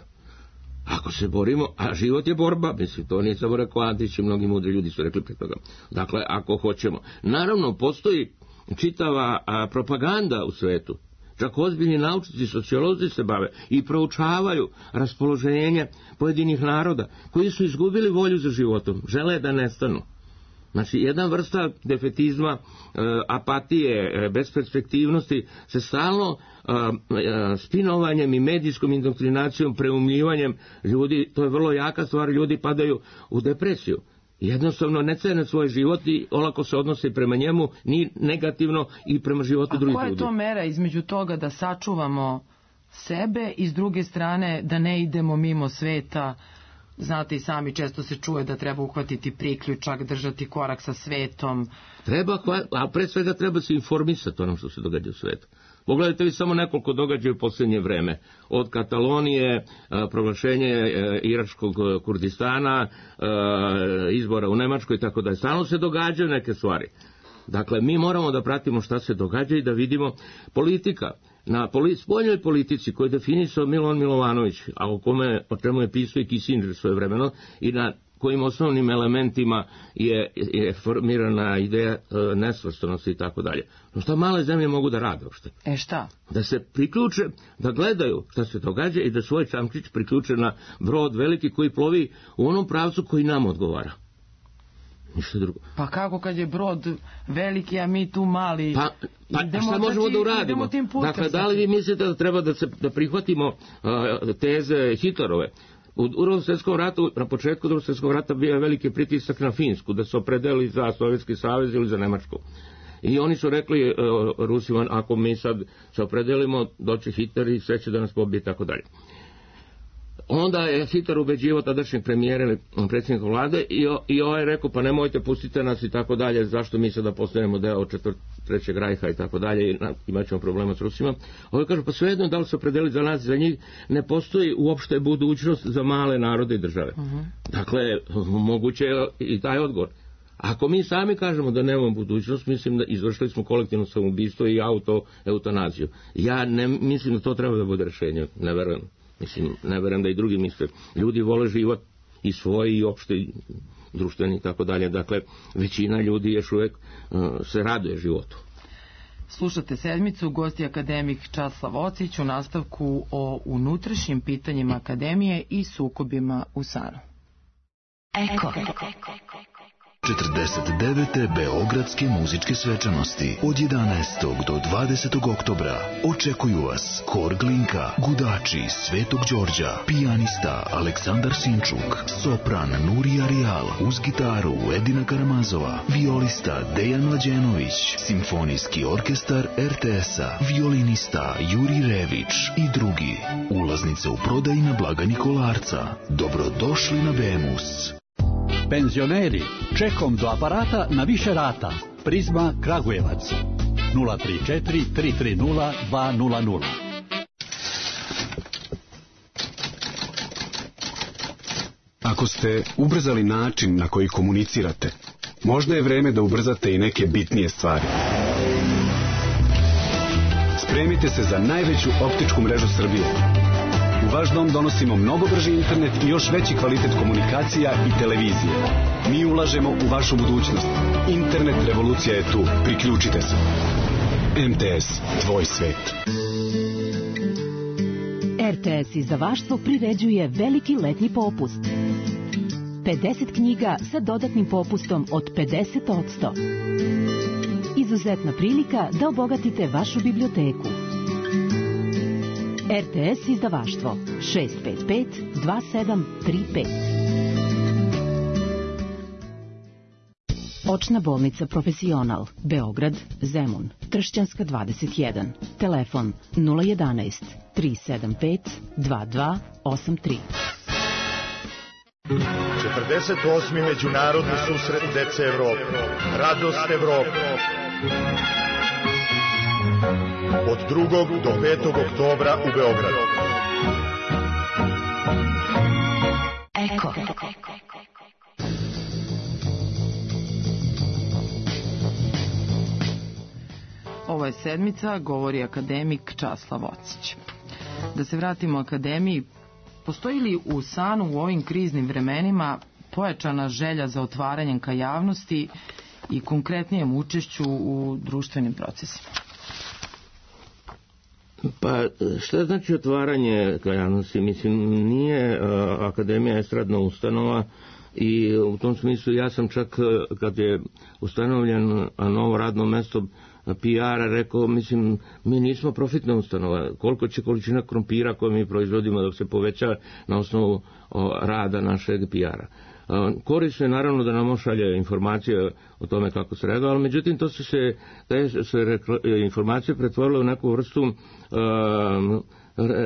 Ako se borimo, a život je borba, mislim, to nije samo rekao Antić i mnogi mudri ljudi su rekli pre toga. Dakle, ako hoćemo. Naravno, postoji čitava a, propaganda u svetu. Čak ozbiljni naučnici, sociolozi se bave i proučavaju raspoloženje pojedinih naroda koji su izgubili volju za životom, žele da nestanu. Znači, jedna vrsta defetizma, apatije, besperspektivnosti se stalno spinovanjem i medijskom indoktrinacijom, preumljivanjem ljudi, to je vrlo jaka stvar, ljudi padaju u depresiju. Jednostavno ne cene svoj život i olako se odnose prema njemu, ni negativno i prema životu drugih ljudi. A koja je to mera između toga da sačuvamo sebe i s druge strane da ne idemo mimo sveta? Znate i sami, često se čuje da treba uhvatiti priključak, držati korak sa svetom. Treba, a pre svega treba se informisati ono što se događa u svetu. Pogledajte vi samo nekoliko događaja u posljednje vreme. Od Katalonije, proglašenje iračkog Kurdistana, izbora u Nemačkoj i tako da. Stalno se događaju neke stvari. Dakle, mi moramo da pratimo šta se događa i da vidimo politika. Na poli, spoljnoj politici koju je definisao Milovan Milovanović, a o, kome, o čemu je pisao i Kissinger svojevremeno, i na kojim osnovnim elementima je, je formirana ideja e, nesvrstanosti i tako dalje. No šta male zemlje mogu da rade uopšte? E šta? Da se priključe, da gledaju šta se događa i da svoj čamčić priključe na brod veliki koji plovi u onom pravcu koji nam odgovara. Ništa drugo. Pa kako kad je brod veliki, a mi tu mali? Pa, pa idemo, šta možemo znači, da uradimo? Dakle, da li vi mislite da treba da, se, da prihvatimo uh, teze Hitlerove? U drugom svjetskom ratu, na početku drugog svjetskog rata bio je veliki pritisak na Finsku, da se opredeli za Sovjetski savez ili za Nemačku. I oni su rekli uh, Rusima, ako mi sad se opredelimo, doći Hitler i sve će da nas pobije i tako dalje. Onda je Hitler ubeđivao tadašnjeg premijera ili predsjednika vlade i, o, i ovaj je rekao, pa nemojte, pustite nas i tako dalje, zašto mi sada postanemo deo četvrtog, trećeg rajha i tako dalje, i imat ćemo problema s Rusima. Ovaj kaže, pa svejedno da li se opredeli za nas, za njih, ne postoji uopšte budućnost za male narode i države. Uh-huh. Dakle, moguće je i taj odgovor. Ako mi sami kažemo da nemamo budućnost, mislim da izvršili smo kolektivno samoubistvo i auto-eutanaziju. Ja ne mislim da to treba da bude rešenje, ne verujem. Mislim, ne verujem da i drugi misle. Ljudi vole život i svoj i opšte društveni i tako dalje. Dakle, većina ljudi još uvek uh, se raduje životu. Slušate Sedmicu, gosti akademik Časlav Ocić u nastavku o unutrašnjim pitanjima akademije i sukobima u SANU. Eko. četrdeset devete Beogradske muzičke svečanosti od jedanaestog do dvadesetog oktobra očekuju vas Hor Glinka, Gudači Svetog Đorđa, pijanista Aleksandar Sinčuk, sopran Nurija Rijal, uz gitaru Edina Karamazova, violista Dejan Mlađenović, simfonijski orkestar er te es-a, violinista Juri Rević i drugi. Ulaznice u prodaji na blagajni Kolarca. Dobrodošli na Bemus. Penzioneri, čekom do aparata na više rata. Prizma Kragujevac. nula tri četiri tri tri nula dva nula nula. Ako ste ubrzali način na koji komunicirate, možda je vreme da ubrzate i neke bitnije stvari. Spremite se za najveću optičku mrežu Srbije. U vaš dom donosimo mnogo brži internet i još veći kvalitet komunikacija i televizije. Mi ulažemo u vašu budućnost. Internet revolucija je tu. Priključite se. em te es, tvoj svet. er te es izdavaštvo priređuje veliki letnji popust. pedeset knjiga sa dodatnim popustom od pedeset posto. Izuzetna prilika da obogatite vašu biblioteku. er te es izdavaštvo šest pet pet dva sedam tri pet. Očna bolnica Profesional, Beograd, Zemun, Tršćanska dvadeset jedan. Telefon nula jedanaest tri sedam pet dva dva osam tri. četrdeset osmi Međunarodni susret dece Evrope. Radost Evrope. Od drugog do petog oktobra u Beogradu. Eko. Ovo je Sedmica, govori akademik Časlav Ocić. Da se vratimo akademiji, postoji li u SANU u ovim kriznim vremenima pojačana želja za otvaranjem ka javnosti i konkretnijem učešću u društvenim procesima? Pa šta znači otvaranje ka javnosti? Mislim, nije a, Akademija estradna ustanova i u tom smislu ja sam čak kad je ustanovljen novo radno mesto P R-a rekao, mislim, mi nismo profitna ustanova. Koliko će količina krompira koju mi proizvodimo dok se poveća na osnovu o, rada našeg P R-a. Korisno je naravno da nam ošalje informacije o tome kako se reda, ali međutim to su se, te se rekla, informacije pretvorile u neku vrstu um,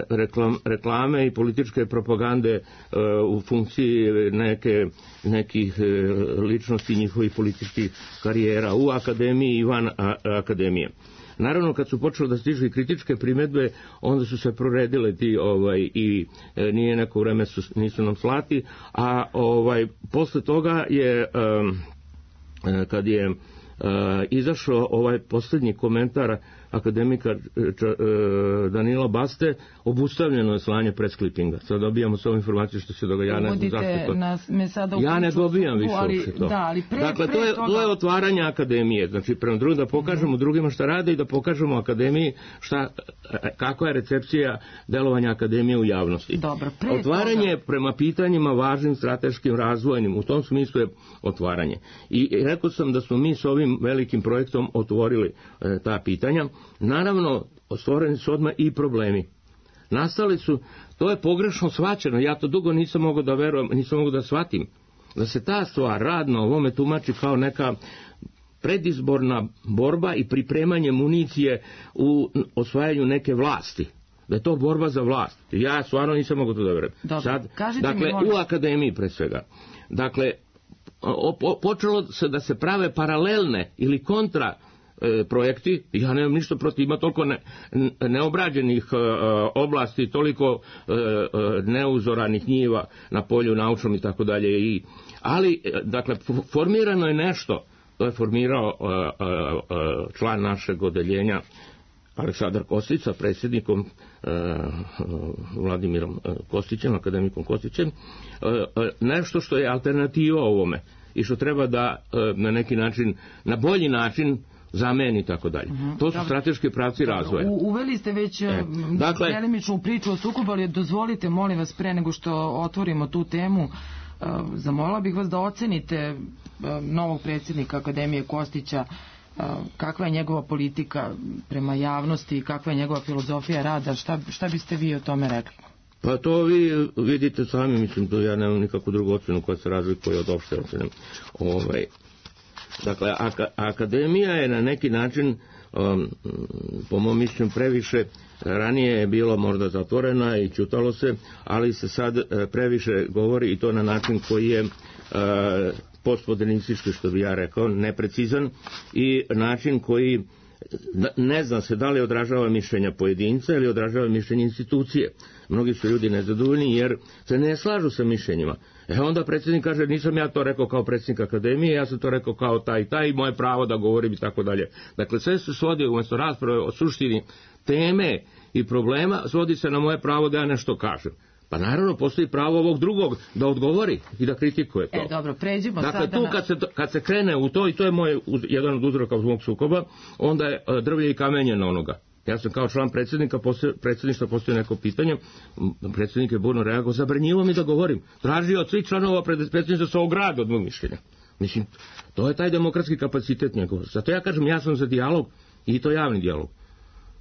reklam, reklame i političke propagande uh, u funkciji neke, nekih uh, ličnosti njihovih političkih karijera u akademiji i van a, akademije. Naravno, kad su počeli da stižu i kritičke primedbe, onda su se proredile ti ovaj i e, nije neko vreme su, nisu nam slati, a ovaj posle toga je um, kad je uh, izašao ovaj posljednji komentar akademika Danila Baste, obustavljeno je slanje presklipinga. Sad dobijamo sve informacije što se događa. Ja ne znam zašto nas, me sada ja ne dobijam više ali, to. Da, ali pre, dakle, pre to je, toga... to je otvaranje akademije. Znači, prema drugim da pokažemo mm-hmm. drugima šta rade i da pokažemo akademiji šta, kako je recepcija delovanja akademije u javnosti. Dobro, pre otvaranje toga... prema pitanjima važnim strateškim razvojnim, u tom smislu je otvaranje. I rekao sam da smo mi s ovim velikim projektom otvorili e, ta pitanja. Naravno, stvoreni su odmah i problemi. Nastali su, to je pogrešno shvaćeno, ja to dugo nisam mogao da verujem, nisam mogao da shvatim, da se ta stvar radno ovome tumači kao neka predizborna borba i pripremanje municije u osvajanju neke vlasti. Da je to borba za vlast. Ja stvarno nisam mogao to da verujem. Sad, dakle, u akademiji pre svega. Dakle, o, po, počelo se da se prave paralelne ili kontra e, projekti, ja nemam ništa protiv, ima toliko ne, neobrađenih e, oblasti, toliko e, neuzoranih njiva na polju naučnom i tako dalje. I, ali, dakle, formirano je nešto, to je formirao e, e, član našeg odeljenja Aleksandar Kostić sa predsjednikom e, Vladimirom Kostićem, akademikom Kostićem, e, e, nešto što je alternativa ovome i što treba da e, na neki način, na bolji način zameni i tako dalje. To su Dobre. strateški pravci Dobre. razvoja. U, uveli ste već e, dakle, delimičnu priču o sukobu, ali dozvolite, molim vas, pre nego što otvorimo tu temu, e, zamolila bih vas da ocenite e, novog predsjednika Akademije Kostića, kakva je njegova politika prema javnosti i kakva je njegova filozofija rada, šta, šta biste vi o tome rekli? Pa to vi vidite sami, mislim, to ja nemam nikakvu drugu ocenu koja se razlikuje od opšte ocene. Ovaj, dakle, aka, akademija je na neki način, um, po mom mišljenju, previše, ranije je bilo možda zatvorena i ćutalo se, ali se sad previše govori i to na način koji je uh, postmodernistički, što bi ja rekao, neprecizan i način koji ne zna se da li odražava mišljenja pojedinca ili odražava mišljenje institucije. Mnogi su ljudi nezadovoljni jer se ne slažu sa mišljenjima. E onda predsjednik kaže, nisam ja to rekao kao predsjednik akademije, ja sam to rekao kao taj i taj i moje pravo da govorim i tako dalje. Dakle, sve se svodi umjesto rasprave o suštini teme i problema, svodi se na moje pravo da ja nešto kažem. Pa naravno postoji pravo ovog drugog da odgovori i da kritikuje to. E, dobro, pređimo dakle, sada tu kad se, kad se krene u to, i to je moj, jedan od uzroka mog sukoba, onda je drvlje i kamenje na onoga. Ja sam kao član predsjednika, predsjedništva postoji neko pitanje, predsjednik je burno reagovao, zabranjivo mi da govorim. Tražio od svih članova predsjedništva da se ograde od mog mišljenja. Mislim, to je taj demokratski kapacitet njegov. Zato ja kažem, ja sam za dijalog i to javni dijalog.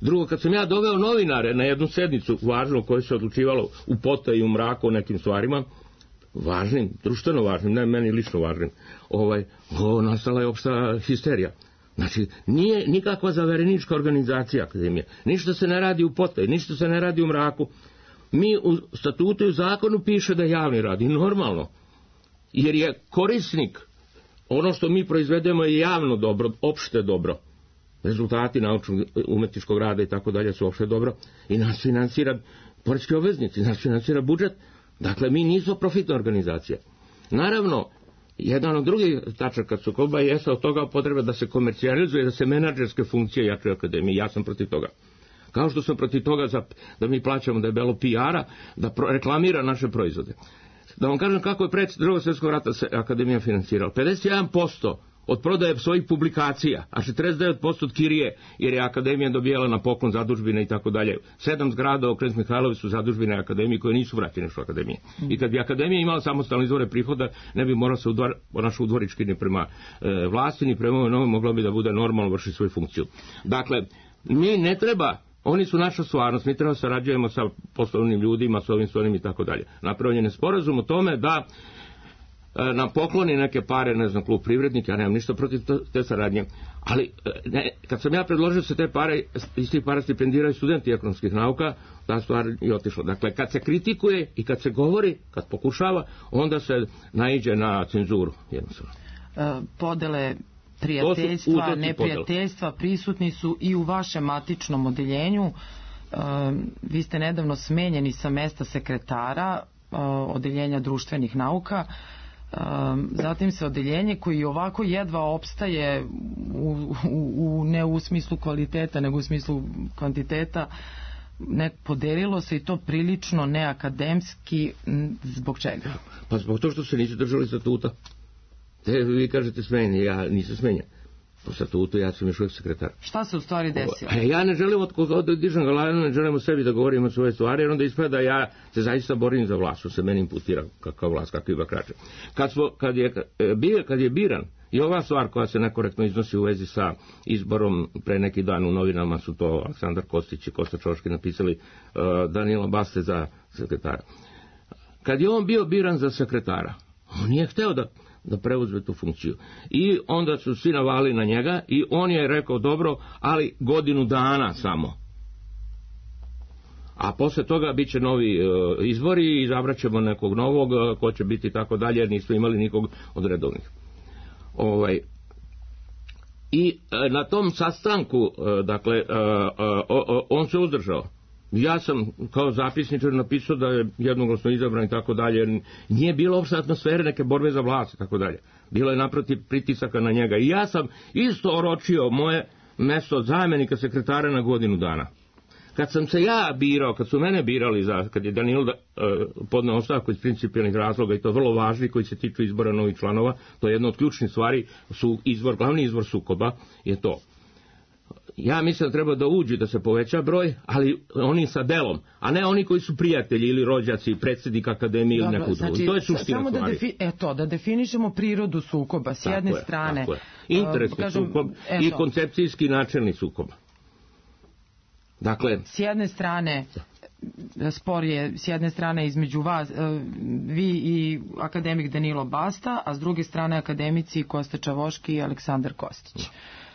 Drugo, kad sam ja doveo novinare na jednu sednicu važnu, koju se odlučivalo u pota i u mraku o nekim stvarima, važnim, društveno važnim, ne meni lično važnim, ovaj, o, nastala je opšta histerija. Znači, nije nikakva zaverenička organizacija akademije. Ništa se ne radi u potaj, ništa se ne radi u mraku. Mi u statutu i u zakonu piše da javni radi, normalno. Jer je korisnik, ono što mi proizvedemo je javno dobro, opšte dobro. Rezultati naučnog umetničkog rada i tako dalje su opšte dobro i nas finansira poreski obveznici, nas finansira budžet. Dakle, mi nismo profitna organizacija. Naravno, jedan od drugih tačaka sukoba jeste od toga potreba da se komercijalizuje, da se menadžerske funkcije jačaju akademije. Ja sam protiv toga. Kao što sam protiv toga za, da mi plaćamo da je belo P R-a, da pro, reklamira naše proizvode. Da vam kažem kako je pred drugog svjetskog rata se akademija finansirala. pedeset jedan posto od prodaje svojih publikacija, a četrdeset devet posto od kirije, jer je akademija dobijala na poklon zadužbine i tako dalje. Sedam zgrada u Knez Mihajlovi su zadužbine akademije koje nisu vraćene što akademije. I kad bi akademija imala samostalne izvore prihoda, ne bi morala se udvar, naš udvorički ni prema e, vlasti, ni prema ovoj novoj, mogla bi da bude normalno vrši svoju funkciju. Dakle, mi ne treba, oni su naša stvarnost, mi treba sarađujemo sa poslovnim ljudima, s ovim, s onim i tako dalje. Napravljen je sporazum o tome da nam pokloni neke pare, ne znam, klub Privrednik, ja nemam ništa protiv te saradnje, ali ne, kad sam ja predložio se te pare, iz tih para stipendiraju studenti ekonomskih nauka, ta stvar je otišla. Dakle, kad se kritikuje i kad se govori, kad pokušava, onda se naiđe na cenzuru, jednostavno. E, podele prijateljstva, neprijateljstva prisutni su i u vašem matičnom odeljenju. E, vi ste nedavno smenjeni sa mesta sekretara e, odeljenja društvenih nauka. Zatim se odeljenje koji ovako jedva opstaje u, u, u, ne u smislu kvaliteta nego u smislu kvantiteta, ne, podelilo se i to prilično neakademski. Zbog čega? Pa zbog to što se nisu držali statuta. Te vi kažete smenjen, ja nisam smenjen po statutu, ja sam još uvijek sekretar. Šta se u stvari desilo? Ja ne želim od koga dižem glavno, ne želim o sebi da govorim o svoje stvari, jer onda ispada da ja se zaista borim za vlast, što se meni imputira kakav vlast, kakvi bakrače. Kad, smo, kad, je, kad je biran, i ova stvar koja se nekorektno iznosi u vezi sa izborom, pre neki dan u novinama su to Aleksandar Kostić i Kosta Čoški napisali uh, Danila Baste za sekretara. Kad je on bio biran za sekretara, on nije hteo da da preuzme tu funkciju. I onda su svi navali na njega i on je rekao dobro, ali godinu dana samo. A posle toga bit će novi uh, izbori i izabraćemo nekog novog, uh, ko će biti tako dalje, jer nismo imali nikog od redovnih. Ovaj, I na tom sastanku, dakle, on se uzdržao. Ja sam kao zapisničar napisao da je jednoglasno izabran i tako dalje. Nije bilo uopšte atmosfere neke borbe za vlast i tako dalje. Bilo je naprotiv pritisaka na njega. I ja sam isto oročio moje mesto zamjenika sekretara na godinu dana. Kad sam se ja birao, kad su mene birali, za, kad je Danilo uh, podneo ostavku iz principijelnih razloga, i to vrlo važni koji se tiču izbora novih članova, to je jedna od ključnih stvari, su izvor, glavni izvor sukoba je to. Ja mislim da treba da uđe, da se poveća broj, ali oni sa delom, a ne oni koji su prijatelji ili rođaci, predsjednik akademije ili neku drugu. To je suština samo stvari. Da defi, eto, da definišemo prirodu sukoba s jedne tako strane. Je, tako je. Interesni uh, kažem, sukob eto. I koncepcijski načelni sukob. Dakle, s jedne strane spor je s jedne strane između vas, vi i akademik Danilo Basta, a s druge strane akademici Kosta Čavoški i Aleksandar Kostić.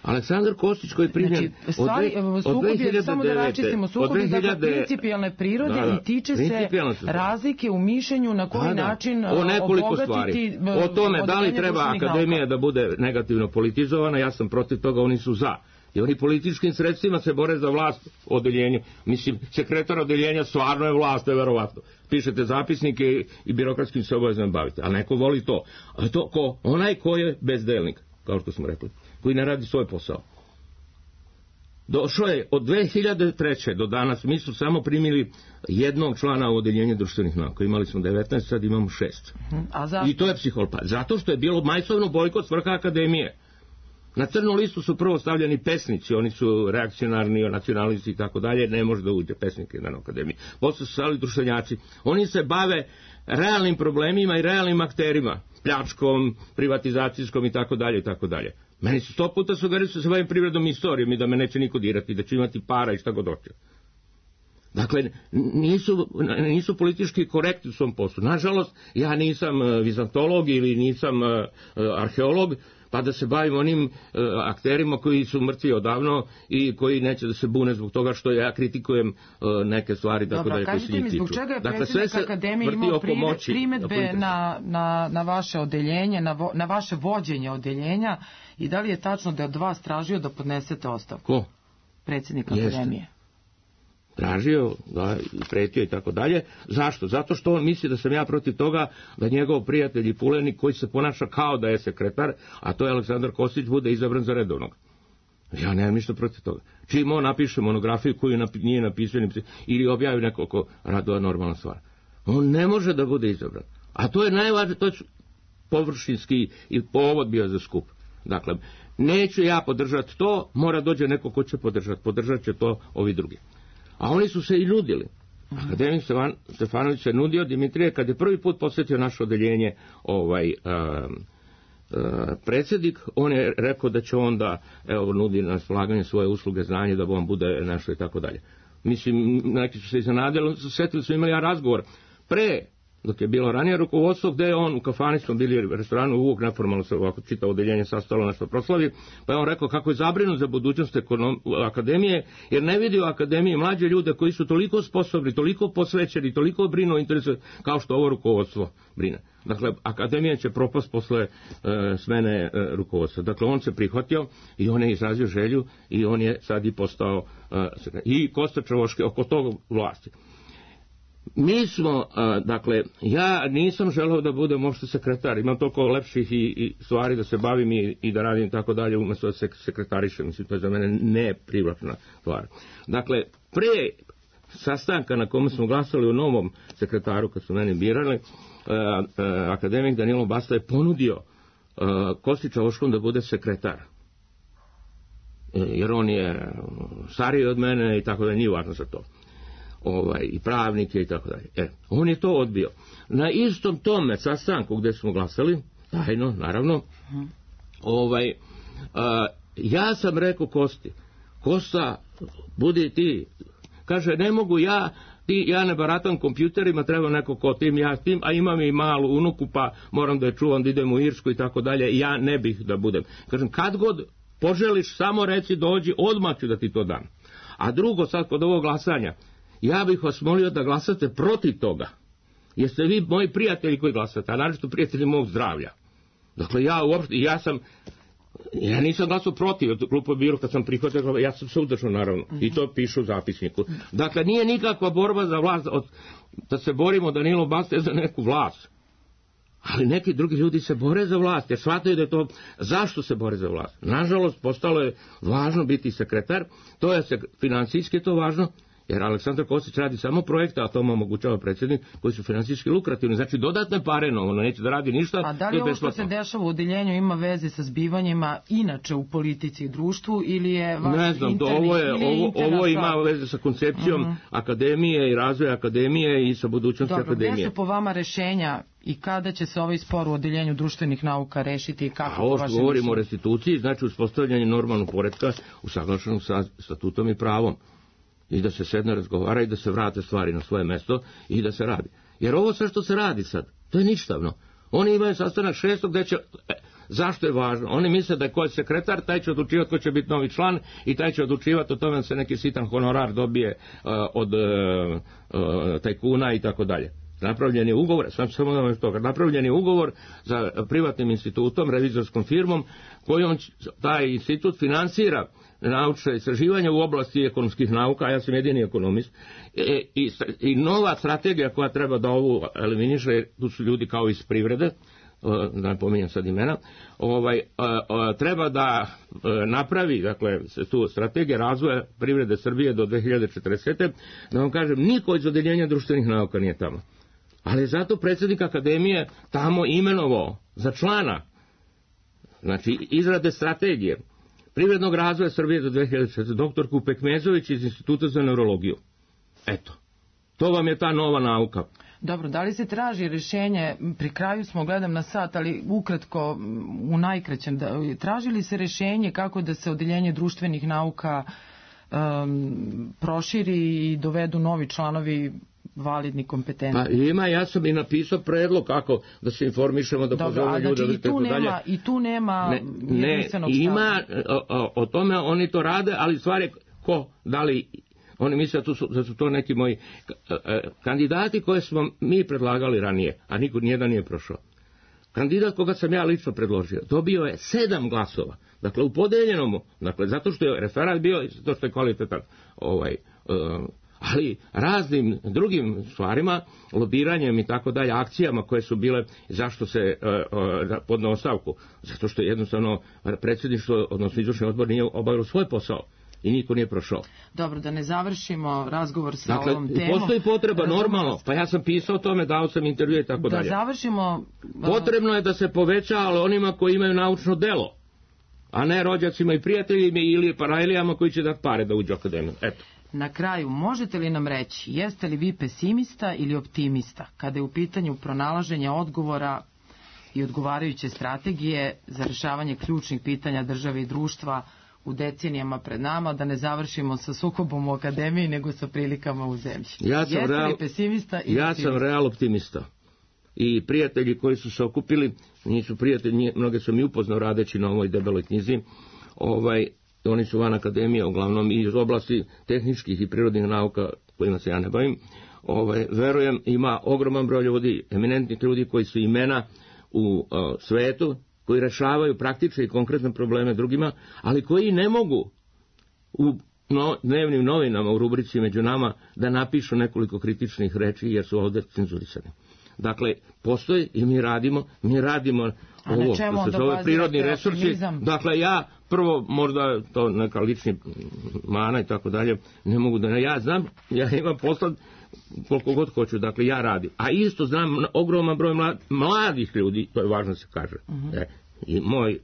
Aleksandar Kostić koji je primljen znači, stvari, od, od dve hiljade devete. Samo da račistimo, sukob je dakle principijalne prirode da, da, i tiče se razlike u mišljenju na koji da, da. način o nekoliko stvari. O tome da li treba akademija nauka. Da bude negativno politizovana, ja sam protiv toga, oni su za. I oni političkim sredstvima se bore za vlast u odeljenju. Mislim, sekretar odeljenja stvarno je vlast, je verovatno. Pišete zapisnike i birokratskim se obavezno bavite. Ali neko voli to. A to ko? Onaj ko je bezdelnik, kao što smo rekli, koji ne radi svoj posao. Došlo je od dve hiljade treće do danas, mi su samo primili jednog člana u odeljenju društvenih nauka. Imali smo devetnaest, sad imamo šest. A zašto? I to je psiholpa. Zato što je bilo majsovno bojkot svrha akademije. Na crnu listu su prvo stavljeni pesnici, oni su reakcionarni, nacionalisti i tako dalje, ne može da uđe pesnike na akademiji. Posle su stavili društvenjaci. Oni se bave realnim problemima i realnim akterima, pljačkom, privatizacijskom i tako dalje i tako dalje. Meni su sto puta sugerirali da se bavim privredom i istorijom i da me neće niko dirati, da ću imati para i šta god hoće. Dakle, nisu, nisu politički korektni u svom poslu. Nažalost, ja nisam vizantolog ili nisam arheolog, pa da se bavim onim uh, akterima koji su mrtvi odavno i koji neće da se bune zbog toga što ja kritikujem uh, neke stvari. Dobro, da kažite mi zbog čega je dakle, predsjednik akademije imao primedbe na, na, na vaše odeljenje, na, vo, na vaše vođenje odeljenja i da li je tačno da je od vas tražio da podnesete ostavku? Ko? Predsjednik akademije. Tražio, da, pretio i tako dalje. Zašto? Zato što on misli da sam ja protiv toga da njegov prijatelj i pulenik koji se ponaša kao da je sekretar, a to je Aleksandar Kostić, bude izabran za redovnog. Ja nemam ništa protiv toga. Čim on napiše monografiju koju napi, nije napisao ili objavi nekoliko radova, normalna stvar. On ne može da bude izabran. A to je najvažnije, to je površinski i povod bio za skup. Dakle, neću ja podržati to, mora dođe neko ko će podržati. Podržat će to ovi drugi. A oni su se i nudili. Akademik Stefanović se nudio, Dimitrije, kad je prvi put posjetio naše odeljenje ovaj, uh, uh, predsjednik, on je rekao da će onda, evo, nudi na slaganje svoje usluge, znanje, da on bude nešto i tako dalje. Mislim, neki su se iznenadili, sjetili su imali ja razgovor pre, dok je bilo ranije rukovodstvo, gde je on u kafani, smo bili u restoranu, uvijek neformalno se ovako čitao odeljenje sastalo nešto proslavi, pa je on rekao kako je zabrinut za budućnost ekonom, akademije, jer ne vidi u akademiji mlađe ljude koji su toliko sposobni, toliko posvećeni, toliko brinu o interesu kao što ovo rukovodstvo brine. Dakle, akademija će propast posle e, smene e, rukovodstva. Dakle, on se prihvatio i on je izrazio želju i on je sad i postao e, i Kosta Čavoški oko tog vlasti. Mi smo, dakle, ja nisam želeo da budem možda sekretar, imam toliko lepših i, i stvari da se bavim i, i da radim tako dalje umjesto da se sekretarišem, mislim, to je za mene neprivlačna stvar. Dakle, pre sastanka na kome smo glasali u novom sekretaru, kad su meni birali, akademik Danilo Basta je ponudio Kosti Čavoškom da bude sekretar. Jer on je stariji od mene i tako da nije važno za to. Ovaj, i pravnike i tako dalje. E, on je to odbio. Na istom tome sastanku gdje smo glasali, tajno, naravno, ovaj, a, ja sam rekao Kosti, Kosta, budi ti, kaže, ne mogu ja, ti, ja ne baratam kompjuterima, treba neko ko tim, ja tim, a imam i malu unuku, pa moram da je čuvam, da idem u Irsku i tako dalje, ja ne bih da budem. Kažem, kad god poželiš, samo reci, dođi, odmah ću da ti to dam. A drugo, sad kod ovog glasanja, ja bih vas molio da glasate protiv toga. Jeste vi moji prijatelji koji glasate, a naročito prijatelji mog zdravlja. Dakle, ja uopšte, ja sam Ja nisam glasao protiv, glupo bilo kad sam prihvatio, ja sam se udržao naravno, uh-huh. i to pišu u zapisniku. Dakle, nije nikakva borba za vlast, od, da se borimo Danilo Baste za neku vlast. Ali neki drugi ljudi se bore za vlast, jer shvataju da je to, zašto se bore za vlast. Nažalost, postalo je važno biti sekretar, to je finansijski to važno, jer Aleksandar Kostić radi samo projekte, a to mu omogućava predsjednik, koji su finansijski lukrativni, znači dodatne pare, no, ono neće da radi ništa. A da li ovo što se dešava u odeljenju ima veze sa zbivanjima inače u politici i društvu, ili je vaš ne znam, interni, ovo, je, ovo, ovo ima stvar? veze sa koncepcijom uh-huh. akademije i razvoja akademije i sa budućnosti Dobro, akademije. Dobro, gdje su po vama rešenja i kada će se ovaj spor u odeljenju društvenih nauka rešiti i kako? A ovo što govorimo o restituciji, znači uspostavljanje normalnog poretka usaglašenog sa statutom i pravom. I da se sedne, razgovara i da se vrate stvari na svoje mesto i da se radi. Jer ovo sve što se radi sad, to je ništavno. Oni imaju sastanak šestog gde će... E, zašto je važno? Oni misle da je ko je sekretar, taj će odlučivati ko će biti novi član i taj će odlučivati o tome da se neki sitan honorar dobije uh, od uh, uh, tajkuna i tako dalje. Napravljen je ugovor, sam samo da toga, napravljen je ugovor za privatnim institutom, revizorskom firmom, kojom taj institut finansira naučne istraživanja u oblasti ekonomskih nauka, a ja sam jedini ekonomist, e, i, i nova strategija koja treba da ovu eliminiše, tu su ljudi kao iz privrede, da ne pominjem sad imena, ovaj, a, a, treba da a, napravi, dakle, tu strategija razvoja privrede Srbije do dve hiljade četrdesete. Da vam kažem, niko iz odeljenja društvenih nauka nije tamo. Ali zato predsjednik akademije tamo imenovao za člana, znači izrade strategije privrednog razvoja Srbije do dve hiljade četrdesete. doktorku Pekmezović iz Instituta za neurologiju. Eto, to vam je ta nova nauka. Dobro, da li se traži rešenje, pri kraju smo, gledam na sat, ali ukratko, u najkraćem, da, traži li se rešenje kako da se odeljenje društvenih nauka um, proširi i dovedu novi članovi validni, kompetentni? Pa ima, ja sam i napisao predlog kako da se informišemo, da pozove ljude. Znači, i tu nema, i tu nema ne, ne, ima, o, o tome oni to rade, ali stvar je ko, da li... Oni misle da su, da su to neki moji kandidati koje smo mi predlagali ranije, a niko nijedan nije prošao. Kandidat koga sam ja lično predložio dobio je sedam glasova. Dakle, u podeljenom, dakle, zato što je referat bio i zato što je kvalitetan, ovaj, uh, ali raznim drugim stvarima, lobiranjem i tako dalje, akcijama koje su bile, zašto se uh, uh, podne ostavku? Zato što jednostavno predsjedništvo, odnosno izvršni odbor nije obavilo svoj posao. I niko nije prošao. Dobro, da ne završimo razgovor sa dakle, ovom temom. Postoji potreba, normalno, pa ja sam pisao o tome, dao sam intervjue i tako da dalje. Da završimo... Potrebno je da se poveća, ali onima koji imaju naučno delo, a ne rođacima i prijateljima ili parajlijama koji će dati pare da uđu u akademiju. Eto. Na kraju, možete li nam reći, jeste li vi pesimista ili optimista, kada je u pitanju pronalaženja odgovora i odgovarajuće strategije za rešavanje ključnih pitanja države i društva u decenijama pred nama, da ne završimo sa sukobom u akademiji, nego sa prilikama u zemlji? Ja sam, Jeste real, li pesimista i ja optimista? sam real optimista. I prijatelji koji su se okupili, nisu prijatelji, mnoge sam i upoznao radeći na ovoj debeloj knjizi, ovaj, oni su van akademije, uglavnom iz oblasti tehničkih i prirodnih nauka, kojima se ja ne bavim. Ovaj, verujem, ima ogroman broj ljudi, eminentnih ljudi koji su imena u uh, svetu, koji rešavaju praktične i konkretne probleme drugima, ali koji ne mogu u no, dnevnim novinama u rubrici Među nama da napišu nekoliko kritičnih reči jer su ovdje cenzurisani. Dakle, postoji i mi radimo, mi radimo ovo što se zove prirodni resursi. Optimizam? Dakle, ja prvo, možda to neka lični mana i tako dalje, ne mogu da ne, ja znam, ja imam posla koliko god hoću, dakle ja radim. A isto znam ogroman broj mlad, mladih ljudi, to je važno se kaže. Uh-huh. E, i moj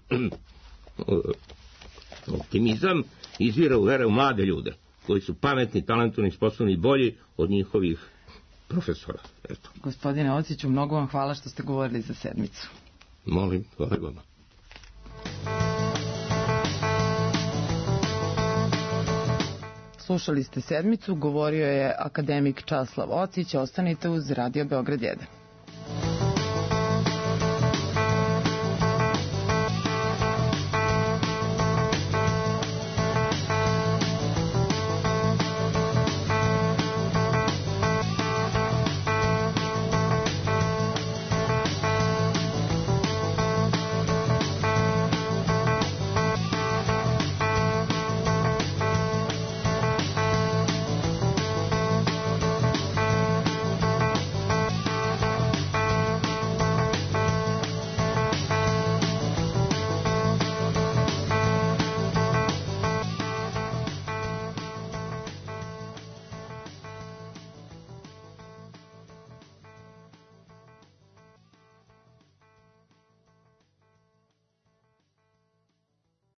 optimizam izvira u vere u mlade ljude, koji su pametni, talentovni, sposobni i bolji od njihovih profesora. Eto. Gospodine Ociću, mnogo vam hvala što ste govorili za sedmicu. Molim, hvala vama. Slušali ste sedmicu, govorio je akademik Časlav Ocić, ostanite uz Radio Beograd jedan.